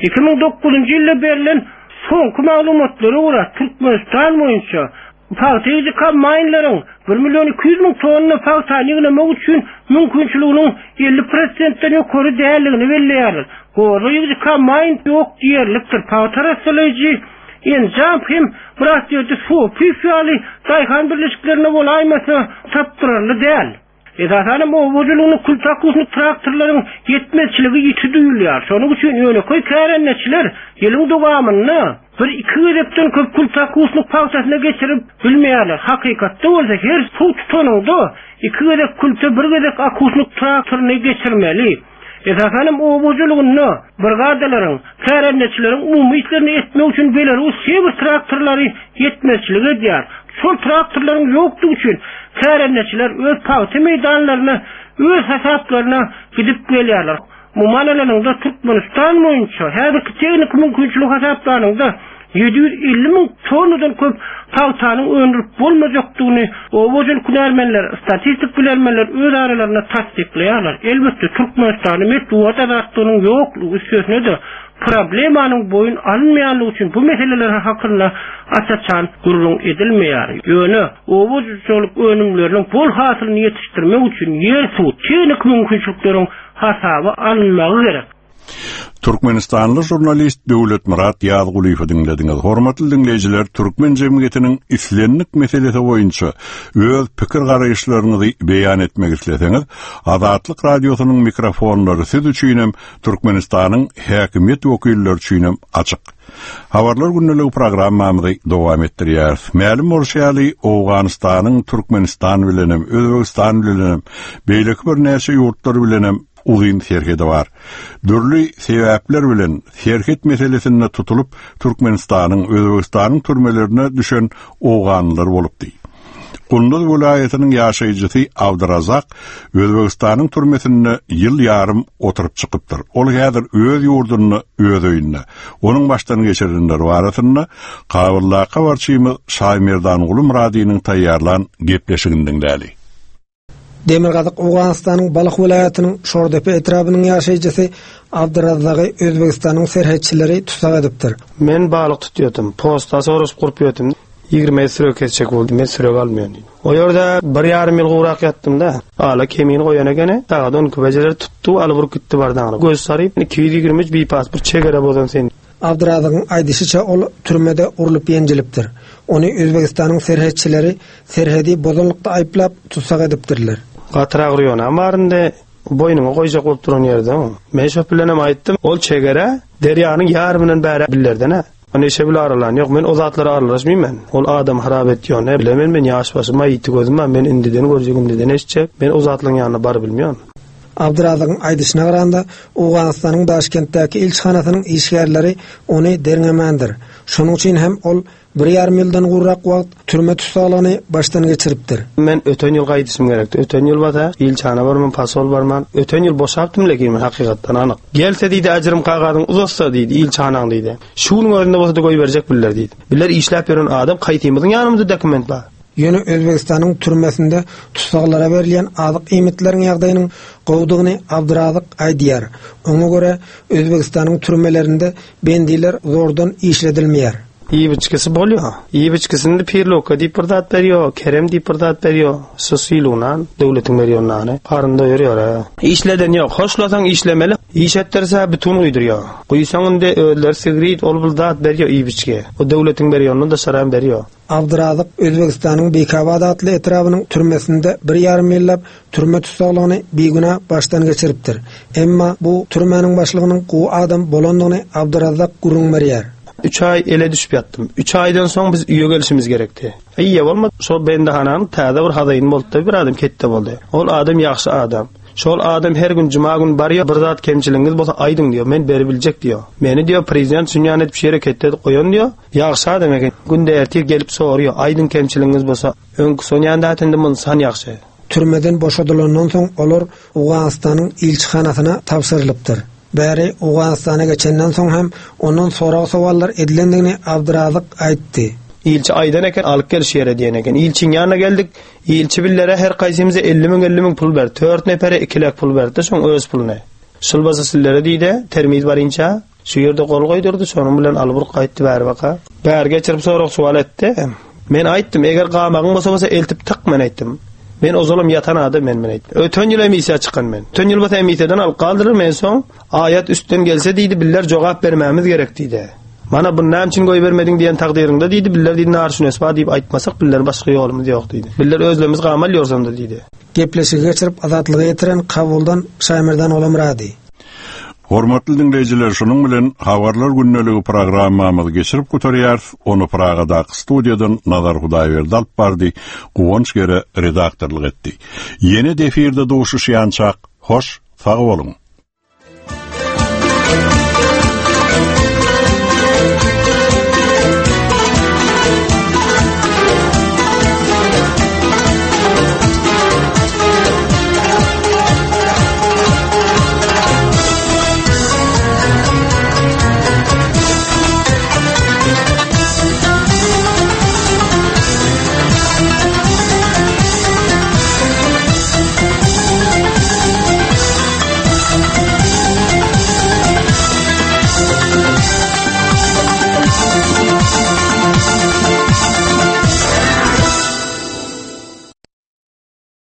2009-njy ýylda berlen soňky maglumatlara görä, Türkmenistan boýunça Pagta ýygyjy kombaýnlaryň bir million 200 müň tonna pagtany ýygnamak üçin mümkinçiliginiň 50 prosentden ýokary däldigini belleýärler. Goza ýygyjy kombaýn ýok diýerlikdir. Pagta arassalaýjy enjam hem biraz ýerde Sopyýew ýaly daýhan birleşiklerinde bolaýmasa tapdyrarly däl. Esasanam oba hojalygynda kültakusnik traktorlaryň ýetmezçiligi ýiti duýulýar. Şonuň üçin ýönekeý kärendeçiler ýylyň dowamynda bir-iki gezekden köp kültakusnik pagtasyna geçirip bilmeýärler. Hakykatda bolsa her suw tutanyňda iki gezek külte, bir gezek akusnik traktoryny geçirmeli. Esasanam oba hojalygynda brigadalaryň, kärendeçileriň umumy işlerini etmek üçin Belarus Sewr traktorlary ýetmezçilik edýär. Şol traktorlaryň ýokdugy üçin kärendeçiler öz pagta meýdanlaryna öz hasaplaryna gidip gelýärler. Umuman alanyňda Türkmenistan boýunça häzirki tehniki mümkinçiligi hasaplanyňda. 750 müň tonnadan köp pagtanyň öndürip bolmajakdygyny oba hojalyk hünärmenler, statistik bilermenler öz aralarynda tassyklaýarlar. Elbetde, Türkmenistanda metbugat azatlygynyň ýoklugy, üstesine-de, problemanyň boýun alynmaýanlygy üçin bu meseleler hakynda aç-açan gürrüň edilmeýär. Ýöne oba hojalyk önümleriniň bol hasylyny ýetişdirmek üçin ýer-suw, tehniki mümkinçilikleriň hasaba alynmagy gerek. Türkmenistanly žurnalist Döwletmyrat Ýazgulyýewi diňlediňiz. Hormatly diňleýjiler, türkmen jemgyýetiniň islendik meselesi boýunça öz pikir-garaýyşlaryňyzy beýan etmek isleseňiz, Azatlyk Radiosynyň mikrofonlary siz üçinem, Türkmenistanyň häkimiýet wekilleri üçinem açyk. Habarlar gündeligi programmamyzy dowam etdirýäris. Mälim bolşy ýaly, Owganystanyň Türkmenistan bilenem, Özbegistan bilenem, beýleki birnäçe ýurtlar bilenem uzyn serhedi bar. Dürli sebäpler bilen serhet meselesinde tutulyp, Türkmenistanyň, Özbegistanyň türmelerine düşen owganlylar bolupdy. Gunduz welaýatynyň ýaşaýjysy Abdyrazak Özbegistanyň türmesinde ýyl ýarym oturyp çykypdyr. Ol häzir öz ýurdunda, öz öýünde. Onuň başdan geçirenleri barasynda Kabuldaky habarçymyz Şaýmerdanguly Myradynyň taýýarlan gepleşigini diňläli. Demirgazyk Owganystanyň Balh welaýatynyň Şordepe etrabynyň ýaşaýjysy Abdyrazzagy Özbegistanyň serhetçileri tussag edipdir. Men balyk tutýardym, posta soraşyp gurup ýördüm. Ýigrimi sürek kesjek boldy, men sürek almaýan diýdim. O ýerde bir ýarym ýyl gowrak ýatdym-da. Ala kemini goýan ekeni, sagat on iki bejeler tutdy, alyp urup gitdi bardagyna. Göz saryp, 223 bipasport çegere bozan sen. Abdyrazygyň aýdyşyça, ol türmede urlup-ýenjilipdir. Ony Özbegistanyň serhetçileri serhedi bozanlykda aýyplap, tussag edipdirler. Gatyrak urýanam bar indi, boýnuňa goýjak bolup duran ýerde. Men şo bilenem aýtdym, ol çegere derýanyň ýarymyndan bäri billerden-ä. Neşe bile aralan ýok, men o zatlara aralaşmaýyn men. Ol adam harap etýän, ne bilemen men ýaş başym-a, ýiti gözüm-ä, men indiden görjek, indiden eşitjek. Men o zatlaryň ýanyna barybilmeýän. Abdyrazygyň aýdyşyna garanda, Owganystanyň Daşkentdäki ilçihanasynyň işgärleri ony derňemändir. Şonuň üçin hem ol bir ýarym ýyldan gowrak wagt türme tussaglygyny başdan geçiripdir. Men öten ýyl gaýdyşym gerekdi. Öten ýyl bolsa, ilçihana barman, posol barman, öten ýyl boşapdym lekin men hakykatdan anyk. Gelse diýdi, äjirim kagazyňy uzatsa diýdi, ilçihanaň diýdi. Şu günüň özünde bolsa-da goýberjek biller diýdi. Biller işläp ýören adam kaýsymyzyň ýanymyzda dokument bar. Ýöne Özbegistanyň türmesinde tussaglara berilýän azyk-iýmitleriň ýagdaýynyň gowudygyny Abdyrazyk aýdýar. Oňa görä, Özbegistanyň türmelerinde bendiler zordan işledilmeýär. Iýip-içgisi bolýar. Iýip-içgisini pirlowka diýip bir zat berýär, kerem diýip bir zat berýär. Şu sylyg nan, döwletiň berýän nany. Garyn doýurýar-a. Işleden ýok. Hoşlasaň işlemeli. Iş etdirse bütin guýdurýar. Guýsaň indi özleri sigrit, ol-bul zat berýär iýip-içgi. O döwletiň berýäninden daşaram berýär. Abdyrazyk Özbegistanyň Beýkabad atly etrabynyň türmesinde bir ýarym ýyllap türme tussaglygyny bigünä başdan geçiripdir. Emma bu türmäniň başlygynyň gowy adam bolandygyny Abdyrazzak gürrüň berýär. Üç aý ele düşüp ýatdym. Üç aýdan soň biz öýe gelşimiz gerekdi. Eýe bolmady. Şol bendihananyň täze bir hazaýyny boldy-da, bir adam ketde boldy. Ol adam ýagşy adam. Şol adam her gün juma gün barýar, bir zat kemçiligiňiz bolsa aýdyň diýýär, men beribiljek diýýär. Meni diýýär, prezident şunýan edip şu ýere ketde edip goýan diýýär. Ýagşy adam eken. Günde ertir gelip sorýar, aýdyň kemçiligiňiz bolsa. Öňki Sonýan dätindi mundan ýagşy. Türmeden boşadylandan soň olar Owganystanyň ilçihanasyna tabşyrylypdyr. Bäri Owganystana geçenden soň hem ondan sorag-sowallar edilendigini Abdyrazyk aýtdy. Ilçi aýdan eken, alyp gel şu ýere diýen eken. Ilçiň ýanyna geldik. Ilçi billere her kaýsymyza 50 müň, 50 müň pul berdi. Tört nepere iki lek pul berdi-de, şoň öz puluny. Şul bolsa sillere diýdi, termiz barynça. Şu ýerde gol goýdurdy, şonuň bilen alyp urup gaýtdy bäri baka. Bäri geçirip sorag-suwal etdi. Men aýtdym, eger gamagyň bolsa bolsa eltip tyk men aýtdym. Men ozalam ýatan adam men men aýtdym. Öten ýyl emissiýa çykan men. Öten ýyl bolsa emissiýadan alyp galdylar men soň aýat üstden gelse diýdi biller jogap bermämiz gerek diýdi. Mana bunu näme üçin goýbermediň diýen takdyryňda diýdi biller diýdi nar şunes bar diýip aýtmasak biller başga ýolumyz ýok diýdi. Biller özlerimiz gamal ýorsam-da diýdi. Gepleşigi geçirip Azatlyga ýetiren Kabuldan Şaýmerdan Olamyrady. Hormatly diňleýjiler, şunuň bilen Habarlar gündeligi programmamyzy geçirip gutarýarys. Ony Pragadaky studiýadan Nazar Hudaýberdi alyp bardy, Guwanç Gere redaktorlyk etdi. Ýene-de efirde duşuşýançak, hoş, sag boluň!